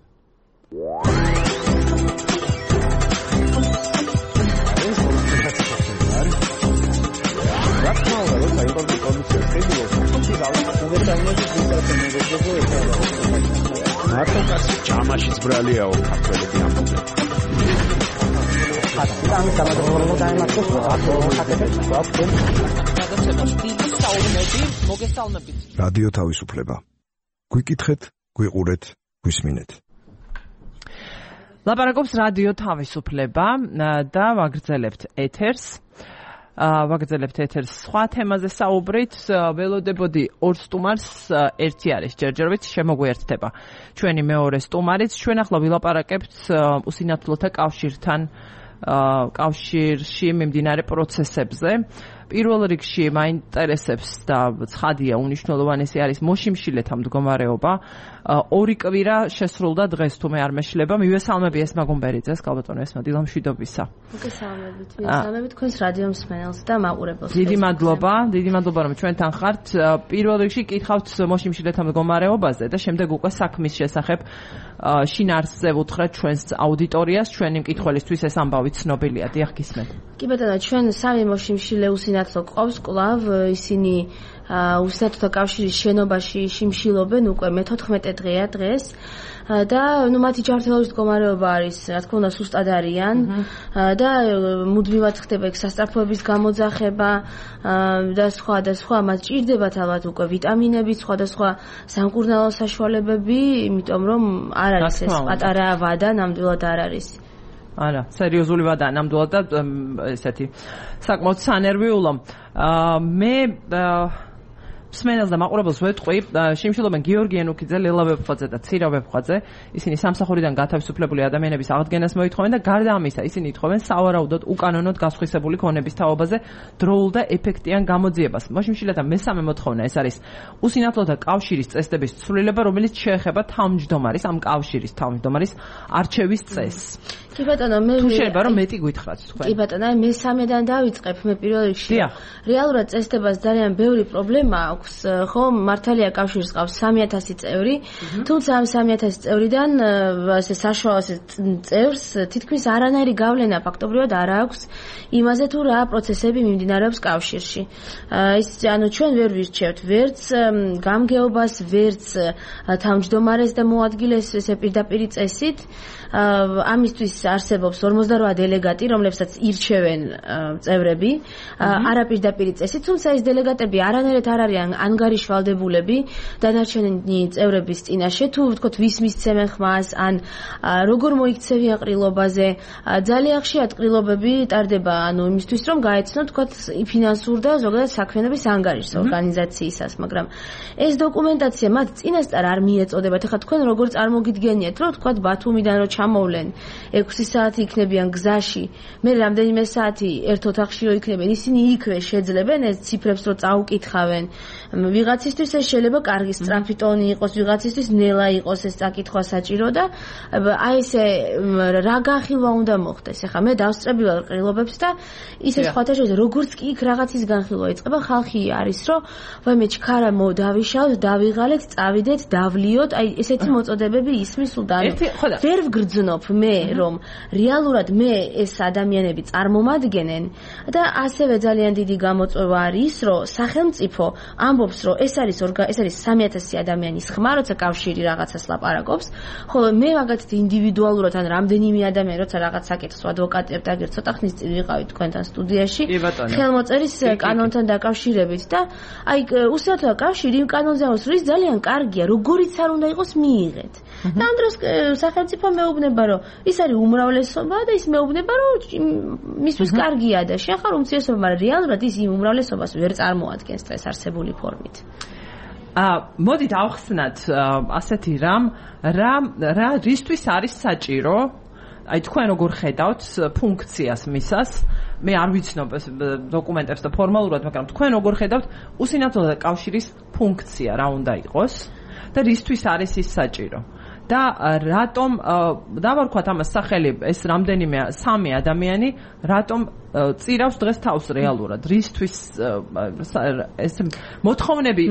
მარტო ჯამაშიც ბრალიაო ქართველები ამბობენ. ამ გამოდროულობა დაემართოს რადიო თავისუფლება. გვიკითხეთ, გვიყურეთ, გვისმინეთ. ლაპარაკობს რადიო თავისუფლება და ვაგრძელებთ ეთერს. ვაგრძელებთ ეთერს სხვა თემაზე საუბრით. ველოდებოდი ორ სტუმარს, ერთი არის ჯერჯერობით შემოგვიერთდება ჩვენი მეორე სტუმარიც. ჩვენ ახლა ვილაპარაკებთ უსინათლოთა კავშირთან კავშირში მიმდინარე პროცესებზე. პირველ რიგში მაინტერესებს და ცხადია უნიშნულოვანესი არის მოშიმშილეთა მდგომარეობა. ორი კვირა შესრულდა დღეს, თუ მე არ მეშლება. მივესალმები ესმა გუმბერიძეს, კალბატონო ესმა, დილამშვიდობისა. მოგესალმებით, მივესალმებით თქვენს რადიო მსმენელს და მაყურებელს. დიდი მადლობა, დიდი მადლობა რომ ჩვენთან ხართ. პირველ რიგში კითხავთ მოშიმშილეთა მდგომარეობაზე და შემდეგ უკვე საქმის შესახებ შინაარსზე ვუთხრათ ჩვენს აუდიტორიას. ჩვენი მკითხველისთვის ეს ამბავი ცნობილია. დიახ, გისმენთ. კი ბატონო, ჩვენ სამი მოშიმშილე უსინათლო ყავს კვლავ, ისინი უსინათლოთა კავშირის შენობაში შიმშილობენ უკვე მეთოთხმეტე დღეა დღეს და ნუ მათი ჯანმრთელობის მდგომარეობა არის, რა თქმა უნდა, სუსტად არიან და მუდმივად ხდება ეგ სასწრაფოების გამოძახება და სხვა და სხვა. მათ ჭირდებათ ალბათ უკვე ვიტამინები, სხვადასხვა სამკურნალო საშუალებები, იმიტომ რომ არ არის ეს პატარა ვადა, ნამდვილად არ არის. არა, სერიოზული ვადა ნამდვილად და ესეთი საკმაოდ სანერვიულო. მე მსმენელს და მაყურებელს ვეთყვი, შიმშილობენ გიორგი ენუქიძე, ლელა ვებხვაძე და ცირა ვებხვაძე. ისინი სამსახურიდან გათავისუფლებული ადამიანების აღდგენას მოითხოვენ და გარდა ამისა, ისინი ითხოვენ სავარაუდოდ უკანონოდ გასხვისებული ქონების თაობაზე დროულ და ეფექტიან გამოძიებას. მოშიმშილეთა მესამე მოთხოვნა ეს არის უსინათლოთა კავშირის წესდების ცვლილება, რომელიც შეეხება თავმჯდომარის, ამ კავშირის თავმჯდომარის არჩევის წესს. კი ბატონო, მე თუ შეიძლება რომ მეტი გითხრათ თქვენ. კი ბატონო, აი მესამედან დავიწყებ. მე პირველ რიგში რეალურად წესდებას ძალიან ბევრი პრობლემა აქვს, ხო, მართალია კავშირს ყავს სამი ათასი წევრი, თუმცა ამ სამი ათასი წევრიდან ასე საშუალო წევრს თითქმის არანაირი გავლენა ფაქტობრივად არ აქვს იმაზე თუ რა პროცესები მიმდინარეობს კავშირში. ის ანუ ჩვენ ვერ ვირჩევთ ვერც გამგეობას, ვერც თავმჯდომარეს და მოადგილეს ესე პირდაპირი წესით. ამისთვის არსებობს ორმოცდაოთხ დელეგატი, რომლებსაც ირჩევენ წევრები, არაპირდაპირი წესით, თუმცა ეს დელეგატები არანაირად არ არიან ანგარიშვალდებულები დანარჩენი წევრების წინაშე, თუ ვთქვათ ვის მისცემენ ხმას, ან როგორ მოიქცევიან ყრილობაზე, ძალიან ხშირად ყრილობები ტარდება, ანუ იმისთვის რომ გაეცნოთ ვთქვათ ფინანსურ და ზოგადად საქმიანობის ანგარიშს ორგანიზაციისას, მაგრამ ეს დოკუმენტაცია მათ წინასწარ არ მიეწოდებათ. ეხლა თქვენ როგორ წარმოგიდგენიათ, რომ ვთქვათ ბათუმიდან რო ჩამოვლენ ექვსი საათი იქნებიან გზაში, მე რამდენიმე საათი ერთ ოთახში რო იქნებიან, ისინი იქვე შეძლებენ ეს ციფრებს რო წაუკითხავენ. ვიღაცისთვის ეს შეიძლება კარგი სწრაფი ტონი იყოს, ვიღაცისთვის ნელა იყოს ეს წაკითხვა საჭირო და აი ესე რა განხილვა უნდა მოხდეს. ეხლა მე დავსწრებილ ყრილობებს და ისე სხვათა შორის როგორც კი იქ რაღაცის განხილვა იწყება, ხალხი არის რომ ვაიმე ჩქარა მოდავიშავთ, დავიღალეთ, წავიდეთ, დავლიოთ, აი ესეთი მოწოდებები ისმის სულთან. ვერ ვგრძნობ მე რომ რეალურად მე ეს ადამიანები წარმომადგენენ და ასევე ძალიან დიდი გამოწვევა არის რომ სახელმწიფო ამბობს რომ ეს არის ეს არის სამი ათასი ადამიანის ხმა, როცა კავშირი რაღაცას ლაპარაკობს, ხოლო მე მაგათი ინდივიდუალურად ან რამდენიმე ადამიანი როცა რაღაც საკითხს ადვოკატებთ, აგერ ცოტა ხნის წინ ვიყავით თქვენთან სტუდიაში, ხელმოწერის კანონთან დაკავშირებით და აი უსიათოა კავშირი იმ კანონზე ამბობს, რომ ის ძალიან კარგია, როგორიც არ უნდა იყოს მიიღეთ. და ამ დროს სახელმწიფო მეუბნება რომ ის არის უმრავლესობა და ის მეუბნება რომ მისთვის კარგია და შეხარ უმცირესობა, მაგრამ რეალურად ის იმ უმრავლესობას ვერ წარმოადგენს დღეს არსებული ფორმით. აა მოდით ავხსნათ ასეთი რამ, რა რა რისთვის არის საჭირო? აი თქვენ როგორ ხედავთ ფუნქციას მისას? მე არ ვიცნობ ეს დოკუმენტებს და ფორმალურად, მაგრამ თქვენ როგორ ხედავთ უსინათლოთა კავშირის ფუნქცია რა უნდა იყოს და რისთვის არის ის საჭირო? და რატომ დავარქვათ ამას სახელი ეს რამდენიმე სამი ადამიანი რატომ წირავს დღეს თავს რეალურად რისთვის ეს მოთხოვნები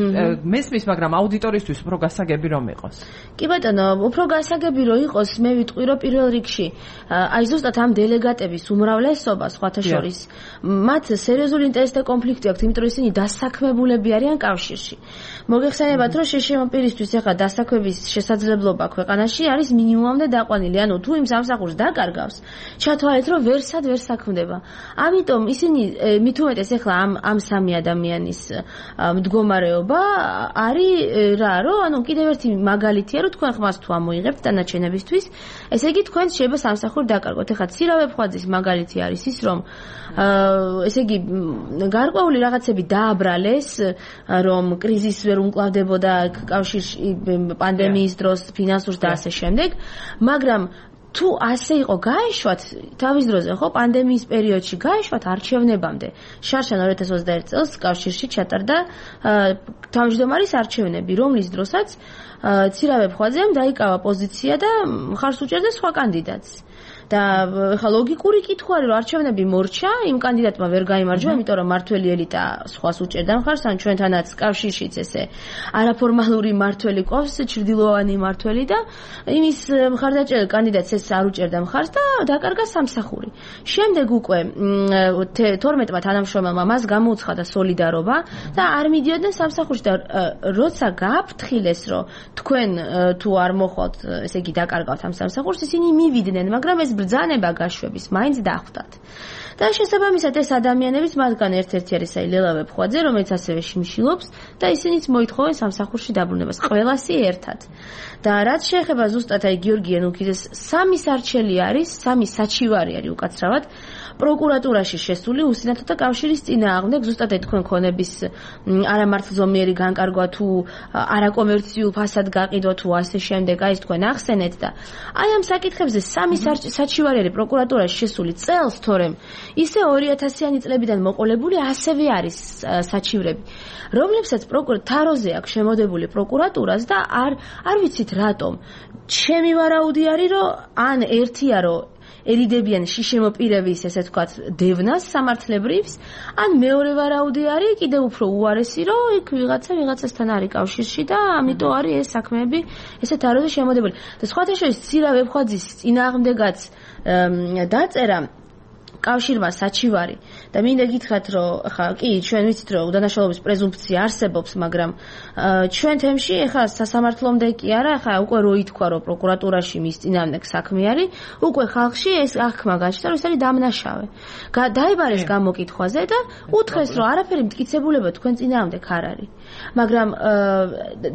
მესმის, მაგრამ აუდიტორისთვის უფრო გასაგები რომ იყოს. კი ბატონო, უფრო გასაგები რომ იყოს, მე ვიტყვი რომ პირველ რიგში აი ზუსტად ამ დელეგატების უმრავლესობა სხვათა შორის მათ სერიოზული ინტერესთა კონფლიქტი აქვს, იმიტომ რომ ისინი დასაქმებულები არიან კავშირში. მოგეხსენებათ რომ შეშემოპირისთვის ახლა დასაქმების შესაძლებლობა ქვეყანაში არის მინიმუმამდე დაყვანილი, ანუ თუ იმ სამსახურს დაკარგავს, ჩათვალეთ რომ ვერსად ვერ საქმდება. ამიტომ ისინი მით უმეტეს ახლა ამ ამ სამი ადამიანის მდგომარეობა არის რა, რომ ანუ კიდევ ერთი მაგალითია, რომ თქვენ ხმას თუ ამოიღებთ დანარჩენებისთვის, ესე იგი თქვენ შეიძლება სამსახური დაკარგოთ. ახლა ცირავე ფხვაძის მაგალითი არის ის, რომ ესე იგი გარკვეული რაღაცები დააბრალეს, რომ კრიზისი ვერ უმკლავდებოდა კავშირში პანდემიის დროს ფინანსურს და ასე შემდეგ, მაგრამ თუ ასე იყო გაეშვათ თავის დროზე, ხო, პანდემიის პერიოდში გაეშვათ არჩევნებამდე. შარშან ორი ათას ოცდაერთი წელს კავშირში ჩატარდა თავმჯდომარის არჩევნები, რომლის დროსაც ცირავე ფხვაძემ დაიკავა პოზიცია და მხარს უჭერდა სხვა კანდიდატს. და ხა ლოგიკური კითხვა არის, რომ არჩევნები მორჩა, იმ კანდიდატმა ვერ გაიმარჯვა, იმიტომ რომ მართველი ელიტა სხვას უჭერდა მხარს, ან ჩვენთანაც კავშირშიც ესე არაფორმალური მართველი ყავს, ჩრდილოვანი მართველი და იმის მხარდაჭერილ კანდიდატს ეს არ უჭერდა მხარს და დაკარგა სამსახური. შემდეგ უკვე თორმეტმა თანამშრომელმა მას გამოუცხადა სოლიდარობა და არ მიდიოდნენ სამსახურში და როცა გააფრთხილეს, რომ თქვენ თუ არ მოხვალთ, ესე იგი დაკარგავთ ამ სამსახურს, ისინი მივიდნენ, მაგრამ ეს ბრძანება გაშვების მაინც დახვდათ. და შესაბამისად ეს ადამიანების მათგან ერთ-ერთი არის აი ლელავე ფხვაძე, რომელიც ასევე შიმშილობს და ისინიც მოითხოვენ სამსახურში დაბრუნებას, ყველასი ერთად. და რაც შეეხება ზუსტად აი გიორგი ენუქიძეს, სამი სარჩელი არის, სამი საჩივარი არის უკაცრავად პროკურატურაში შესული უსინათლოთა კავშირის წინააღმდეგ, ზუსტად აი თქვენ ქონების არამართლზომიერი განკარგვა თუ არაკომერციულ ფასად გაყიდვა თუ ასე შემდეგ, აი თქვენ ახსენეთ და აი ამ საკითხებზე სამი საჩივარი არის პროკურატურაში შესული წელს, თორემ ისე ორი ათასიანი წლებიდან მოყოლებული ასევე არის საჩივრები, რომლებსაც პროკურატურაზე აქვს შემოდებული პროკურატურას და არ არ ვიცით რატომ. ჩემი ვარაუდი არის, რომ ან ერთია, რომ ერიდებიან შიშემოპირების, ესე ვთქვათ, დევნას სამართლებრივს, ან მეორე ვარაუდი არის კიდევ უფრო უარესი, რომ იქ ვიღაცა ვიღაცასთან არის კავშირში და ამიტომ არის ეს საქმეები ესეთ აროზე შემოდებული. და სხვათა შორის ცირავე ფხვაძის წინააღმდეგაც დაწერა კავშირმა საჩივარი და მინდა გითხრათ რომ ხა კი ჩვენ ვიცით რომ უდანაშაულობის პრეზუმფცია არსებობს მაგრამ ჩვენ თემში ხა სასამართლომდე კი არა ხა უკვე რო ითქვა რომ პროკურატურაში მის წინააღმდეგ საქმე არის უკვე ხალხში ეს აღქმა გაჩნდა რომ ეს არის დამნაშავე დაიბარეს გამოკითხვაზე და უთხრეს რომ არაფერი მტკიცებულება თქვენ წინააღმდეგ არ არის მაგრამ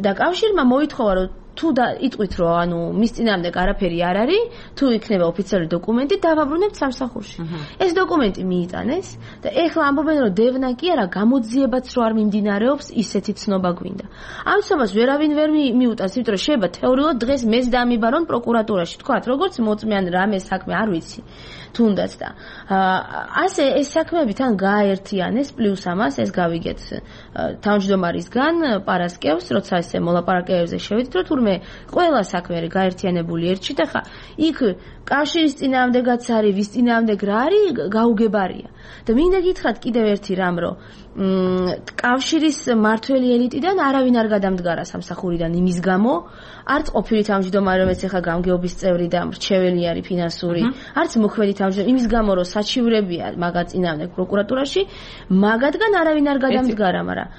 და კავშირმა მოითხოვა რომ თუ და იტყვით რომ ანუ მის წინააღმდეგ არაფერი არ არის თუ იქნება ოფიციალური დოკუმენტი დავაბრუნებთ სამსახურში ეს დოკუმენტი მიიტანეს და ეხლა ამბობენ რომ დევნა კი არა გამოძიებაც რო არ მიმდინარეობს ისეთი ცნობა გვინდა ამ ცნობას ვერავინ ვერ მიუტანს იმიტომ რომ შეიძლება თეორიულად დღეს მეც დამიბარონ პროკურატურაში თქვათ როგორც მოწმიან რამე საქმე არ ვიცი თუნდაც და ასე ეს საქმეები თან გააერთიანეს პლუს ამას ეს გავიგეთ თავმჯდომარისგან პარასკევს როცა ესე მოლაპარაკებებზე შევიდით რომ თურმე ყველა საქმე არის გაერთიანებული ერთში და ხა იქ კავშირის წინააღმდეგაც არის ვის წინააღმდეგ რა არის გაუგებარია და მინდა გითხრათ კიდევ ერთი რამ რომ კავშირის მართველი ელიტიდან არავინ არ გადამდგარა სამსახურიდან იმის გამო არც ყოფილი თავმჯდომარე რომელიც ახლა გამგეობის წევრი და მრჩეველი არის ფინანსური არც მოქმედი თავმჯდომარე იმის გამო რომ საჩივრებია მაგათ წინააღმდეგ პროკურატურაში მაგათგან არავინ არ გადამდგარა მაგრამ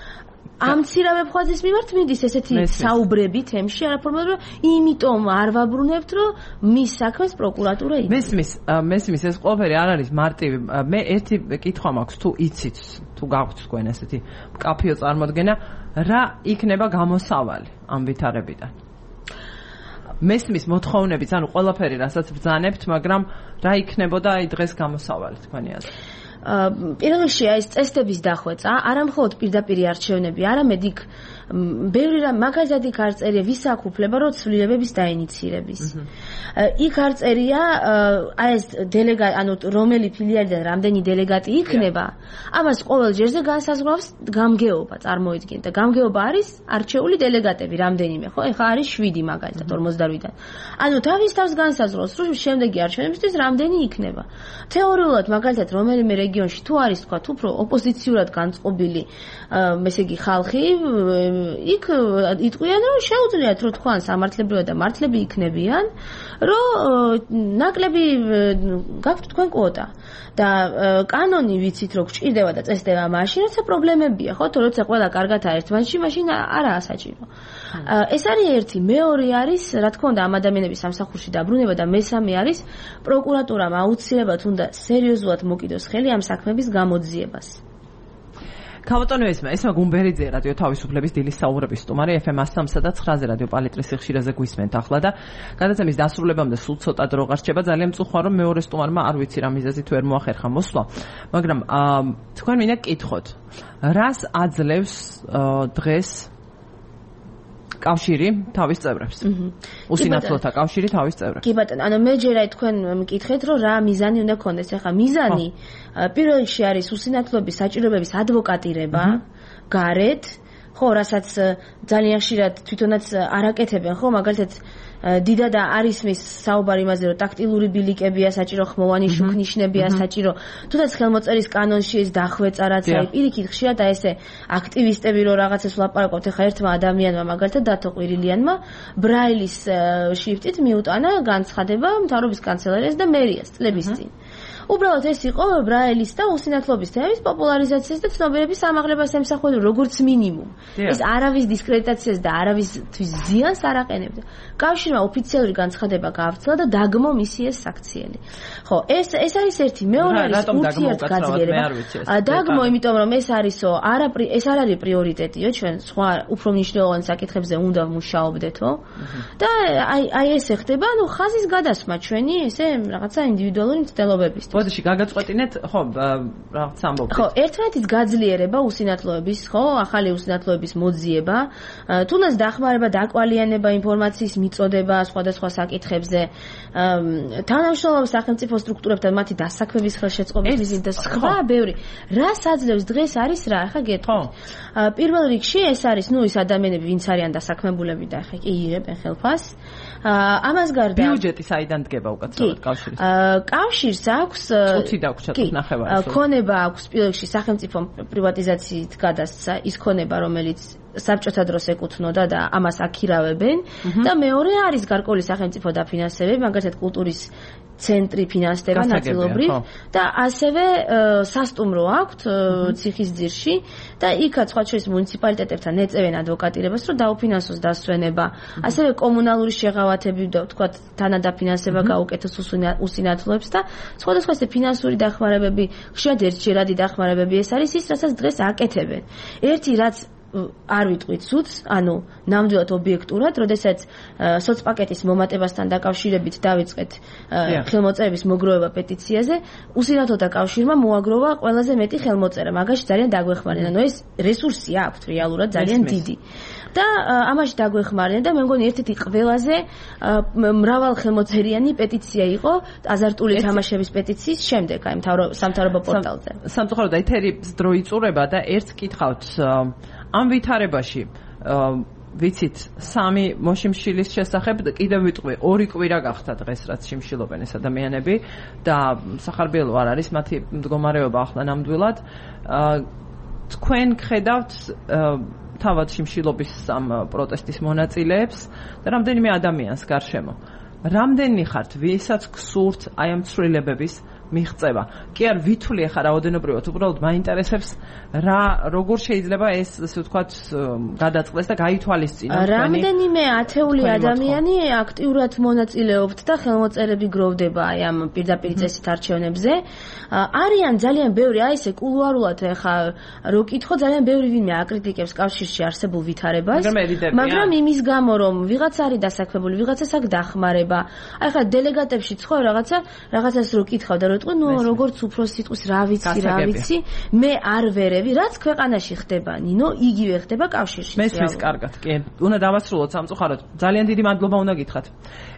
ამცირა ვებხვაძის მიმართ მიდის ესეთი საუბრები თემში არაფორმალურად იმიტომ არ ვაბრუნებთ რომ მის საქმეს პროკურატურა იცის მესმის მესმის ეს ყველაფერი არ არის მარტივი მე ერთი კითხვა მაქვს თუ იცით თუ გაქვთ თქვენ ესეთი მკაფიო წარმოდგენა რა იქნება გამოსავალი ამ ვითარებიდან მესმის მოთხოვნებით ანუ ყველაფერი რასაც ბრძანებთ მაგრამ რა იქნებოდა აი დღეს გამოსავალი თქვენი აზრით პირველ რიგში აი ეს წესდების დახვეწა არა მხოლოდ პირდაპირი არჩევნები არამედ იქ ბევრი რამ მაგალითად იქ არ წერია ვის აქვს უფლება რომ ცვლილებების დაინიცირების იქ არ წერია აი ეს დელეგატი ანუ რომელი ფილიალიდან რამდენი დელეგატი იქნება ამას ყოველ ჯერზე განსაზღვრავს გამგეობა წარმოიდგინეთ და გამგეობა არის არჩეული დელეგატები რამდენიმე ხო ეხლა არის შვიდი მაგალითად ორმოცდაოთხიდან ანუ თავის თავს განსაზღვრავს რომ შემდეგი არჩევნებისთვის რამდენი იქნება თეორიულად მაგალითად რომელიმე რეგიონში თუ არის თქვა უფრო ოპოზიციურად განწყობილი ესე იგი ხალხი იქ იტყვიან რომ შეუძლიათ რომ თქვან სამართლებრივად და მართლები იქნებიან რომ ნაკლები გაქვთ თქვენ კვოტა და კანონი ვიცით რომ გჭირდება და წესდება მაშინ როცა პრობლემებია ხო თუ როცა ყველა კარგად არის ერთმანეთში მაშინ არაა საჭირო ეს არის ერთი მეორე არის რა თქმა უნდა ამ ადამიანების სამსახურში დაბრუნება და მესამე არის პროკურატურამ აუცილებლად უნდა სერიოზულად მოკიდოს ხელი ამ საქმების გამოძიებას ქავატონო ესმა ესმა გუმბერიძე რადიო თავისუფლების დილის საუბრების სტუმარი ეფ ემ სამსა და ცხრაზე რადიო პალიტრის ხშირაზე გვისმენთ ახლა და გადაცემის დასრულებამდე სულ ცოტა დრო გარჩება ძალიან მწუხარ რომ მეორე სტუმარმა არ ვიცი რა მიზეზით ვერ მოახერხა მოსვლა მაგრამ თქვენ მინდა გკითხოთ რას აძლევს დღეს კავშირი თავის წევრებს. უსინათლოთა კავშირი თავის წევრებს. კი ბატონო, ანუ მე ჯერა თქვენ მკითხეთ, რომ რა მიზანი უნდა გქონდეს. ახლა მიზანი პირველ რიგში არის უსინათლოების საჭიროებების ადვოკატირება, გარეთ, ხო, რასაც ძალიან ხშირად თვითონაც არაკეთებენ, ხო, მაგალითად დიდა და არის მის საუბარი იმაზე რომ ტაქტილური ბილიკებია საჭირო ხმოვანი შუქნიშნებია საჭირო თუნდაც ხელმოწერის კანონში ეს დახვეწა რაც არის პირიქით ხშირად აი ესე აქტივისტები რომ რაღაცას ვლაპარაკობთ ახლა ერთმა ადამიანმა მაგალითად დათო ყვირილიანმა ბრაილის შრიფტით მიუტანა განცხადება მთავრობის კანცელერიას და მერიას წლების წინ უბრალოდ ეს იყო ბრაილის და უსინათლობის თემის პოპულარიზაციას და ცნობიერების ამაღლებას ემსახურება როგორც მინიმუმ ეს არავის დისკრედიტაციას და არავისთვის ზიანს არ აყენებდა კავშირმა ოფიციალური განცხადება გაავრცელა და დაგმო მისი ეს საქციელი. ხო, ეს ეს არის ერთი, მეორე არის ურთიერთგაზრდობა. დაგმო, იმიტომ რომ ეს არისო, არა ეს არ არის პრიორიტეტიო, ჩვენ სხვა უფრო მნიშვნელოვან საკითხებზე უნდა ვმუშაობდეთო. და აი აი ესე ხდება, ანუ ხაზის გადასმა ჩვენი ესე რაღაცა ინდივიდუალური მცდელობებისთვის. ბოდიში გაგაწყვეტინეთ, ხო, რაღაც ამბობთ. ხო, ერთმანეთის გაძლიერება უსინათლოების, ხო, ახალი უსინათლოების მოძიება, თუნდაც დახმარება, დაკვალიანება ინფორმაციის მიწოდება სხვადასხვა საკითხებზე თანამშრომლობა სახელმწიფო სტრუქტურებთან მათი დასაქმების ხელშეწყობის და სხვა ბევრი რას აძლევს დღეს არის რა ახლა გეტყვით პირველ რიგში ეს არის ნუ ის ადამიანები ვინც არიან დასაქმებულები და ახლა კი იღებენ ხელფას ამას გარდა ბიუჯეტი საიდან დგება უკაცრავად კავშირის კავშირს აქვს წუთი დაგვრჩათ ნახევარი ქონება აქვს პირველ რიგში სახელმწიფო პრივატიზაციით გადასცა ის ქონება რომელიც საბჭოთა დროს ეკუთვნოდა და ამას აქირავებენ და მეორე არის გარკვეული სახელმწიფო დაფინანსებები, მაგალითად კულტურის ცენტრი ფინანსდება ნაწილობრივ და ასევე სასტუმრო აქვთ ციხისძირში და იქაც სხვა შორის მუნიციპალიტეტებთან ეწევენ ადვოკატირებას, რომ დაუფინანსოს დასვენება, ასევე კომუნალური შეღავათები და თქვათ თანადაფინანსება გაუკეთოს უსინათლოებს და სხვადასხვა ესე ფინანსური დახმარებები, ხშირად ერთჯერადი დახმარებები ეს არის ის, რასაც დღეს აკეთებენ. ერთი რაც არ ვიტყვით სუც, ანუ ნამდვილად ობიექტურად, როდესაც სოცპაკეტის მომატებასთან დაკავშირებით დავიწყეთ ხელმოწერების მოგროვება პეტიციაზე, უსინათლოთა კავშირმა მოაგროვა ყველაზე მეტი ხელმოწერა, მაგაში ძალიან დაგვეხმარნენ, ანუ ეს რესურსი აქვთ რეალურად ძალიან დიდი. და ამაში დაგვეხმარნენ და მე მგონი ერთ-ერთი ყველაზე მრავალ ხელმოწერიანი პეტიცია იყო აზარტული თამაშების პეტიციის შემდეგ, აი სამთავრობო პორტალზე. სამწუხაროდ ეთერის დრო იწურება და ერთს კითხავთ ამ ვითარებაში ვიცით სამი მოშიმშილის შესახებ კიდევ ვიტყვი ორი კვირა გახდა დღეს რაც შიმშილობენ ეს ადამიანები და სახარბიელო არ არის მათი მდგომარეობა ახლა ნამდვილად თქვენ ხედავთ თავად შიმშილობის ამ პროტესტის მონაწილეებს და რამდენიმე ადამიანს გარშემო რამდენი ხართ ვისაც გსურთ აი ამ ცვლილებების მიღწევა. კი არ ვითვლი ახლა რაოდენობრივად, უბრალოდ მაინტერესებს რა როგორ შეიძლება ეს ასე ვთქვათ გადაწყდეს და გაითვალისწინოს თქვენი. რამდენიმე ათეული ადამიანი აქტიურად მონაწილეობთ და ხელმოწერები გროვდება აი ამ პირდაპირ წესით არჩევნებზე. არიან ძალიან ბევრი, აი ესე კულუარულად ახლა რო კითხო, ძალიან ბევრი ვინმე აკრიტიკებს კავშირში არსებულ ვითარებას. მაგრამ იმის გამო რომ ვიღაც არის დასაქმებული, ვიღაცას აქ დახმარება. აი ახლა დელეგატებში ხო რაღაცა რაღაცას რო კითხავ და ნუ როგორც უფრო სიტყვის რა ვიცი რა ვიცი მე არ ვერევი რაც ქვეყანაში ხდება ნინო იგივე ხდება კავშირში მესმის კარგად კი უნდა დავასრულოთ სამწუხაროდ ძალიან დიდი მადლობა უნდა გითხრათ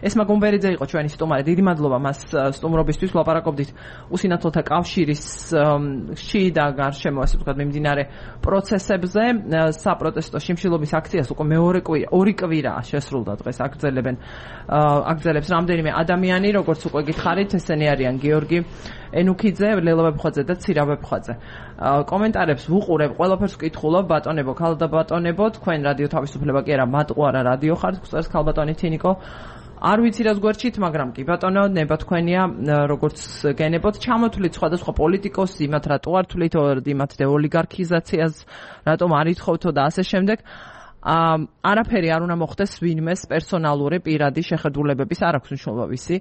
ესმა გუმბერიძე იყო ჩვენი სტუმარი დიდი მადლობა მას სტუმრობისთვის ვლაპარაკობდით უსინათლოთა კავშირისში და გარშემო ასე ვთქვათ მიმდინარე პროცესებზე საპროტესტო შიმშილობის აქციას უკვე მეორე კვირა ორი კვირაა შესრულდა დღეს აგრძელებენ აგრძელებს რამდენიმე ადამიანი როგორც უკვე გითხარით ესენი არიან გიორგი ენუქიძე, ლელა ვებხვაძე და ცირავ ვებხვაძე. კომენტარებს ვუყურებ, ყველაფერს ვკითხულობ, ბატონებო, ქალდა ბატონებო, თქვენ რადიო თავისუფლება კი არა, მატყუარა რადიო ხართ, გსწრებს ქალბატონი თინიკო. არ ვიცი რას გვერჩით, მაგრამ კი ბატონო, ნება თქვენია, როგორც გენებოთ, ჩამოთვლით სხვადასხვა პოლიტიკოსს, იმათ რატო არ თვლით, იმათ და ოლიგარქიზაციას, რატომ არ ითხოვთო და ასე შემდეგ. ამ არაფერი არ უნდა მოხდეს ვინმეს პერსონალური პირადი შეხედულებების არ აქვს მნიშვნელობა ვიცი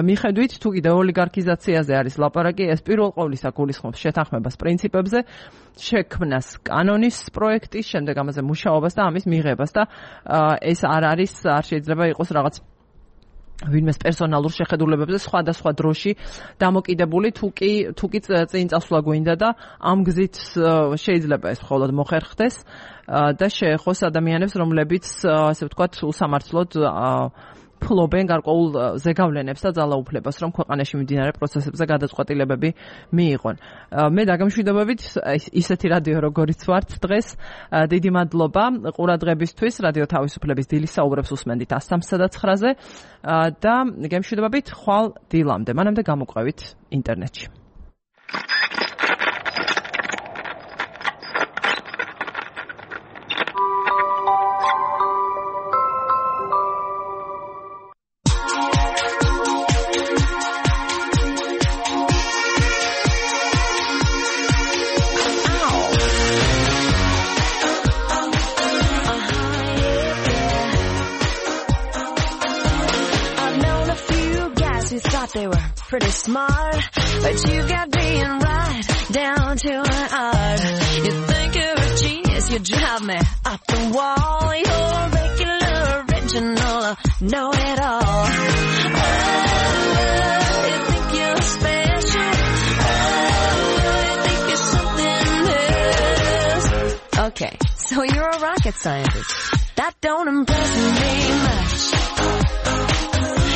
მიხედვით თუ კიდე ოლიგარქიზაციაზე არის ლაპარაკი ეს პირველ ყოვლისა გულისხმობს შეთანხმებას პრინციპებზე შექმნას კანონის პროექტის შემდეგ ამაზე მუშაობას და ამის მიღებას და ეს არ არის არ შეიძლება იყოს რაღაც ვინმეს პერსონალურ შეხედულებებზე სხვადასხვა დროში დამოკიდებული თუ კი თუ კი წინ წასვლა გვინდა და ამ გზით შეიძლება ეს მხოლოდ მოხერხდეს და შეეხოს ადამიანებს რომლებიც ასე ვთქვათ უსამართლოდ ფლობენ გარკვეულ ზეგავლენებს და ძალაუფლებას რომ ქვეყანაში მიმდინარე პროცესებზე გადაწყვეტილებები მიიღონ. მე დაგემშვიდობებით ისეთი რადიო როგორიც ვართ დღეს დიდი მადლობა ყურადღებისთვის რადიო თავისუფლების დილის საუბრებს უსმენდით ას სამსა და ცხრაზე და გემშვიდობებით ხვალ დილამდე მანამდე გამოყვებით ინტერნეტში. They were pretty smart, but you got being right down to an art. You think you're a genius, you drive me up the wall. You're regular, original, know it all. Oh, you think you're special. Oh, you think you're something else. Okay, so you're a rocket scientist. That don't impress me much.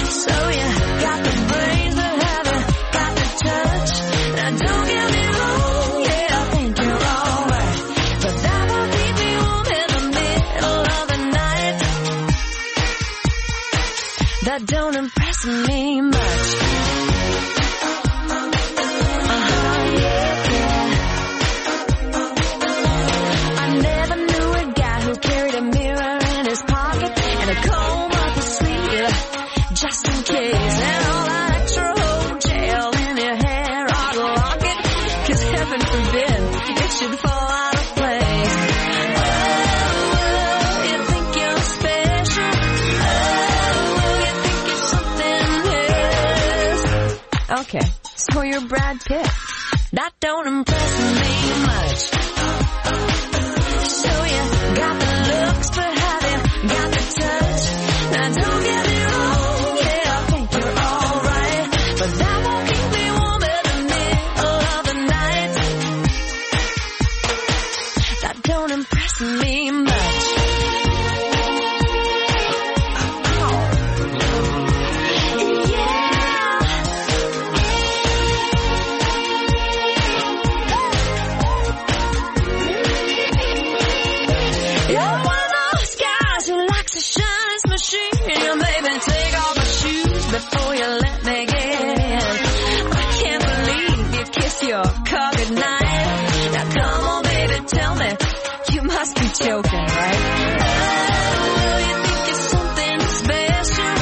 So you got the brains that haven't got the touch. Now don't get me wrong, yeah, I think you're alright, but that won't keep me warm in the middle of the night. That don't impress me much. Uh-huh, yeah, yeah. I never knew a guy Okay, so you're Brad Pitt. That don't impress me much. So you got the looks, but have you got the touch? Now don't get me wrong, yeah, I think you're alright, but that won't keep me warm in the middle of the night. That don't impress me much. Before you let me get in, I can't believe you kissed your car goodnight. Now come on, baby, tell me, you must be joking, right? Oh, you think you're something special?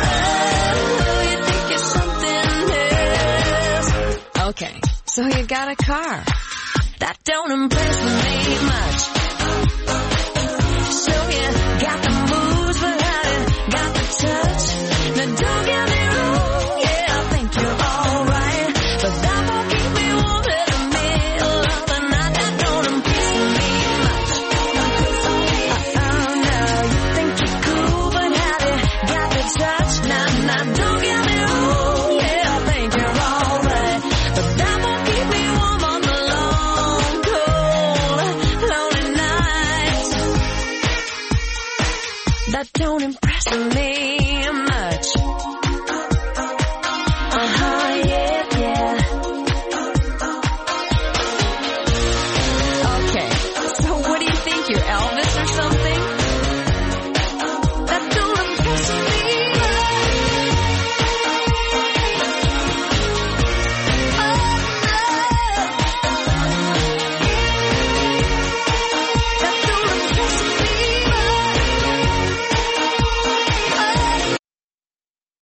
Oh, you think you're something else? Okay, so you got a car. That don't impress me much.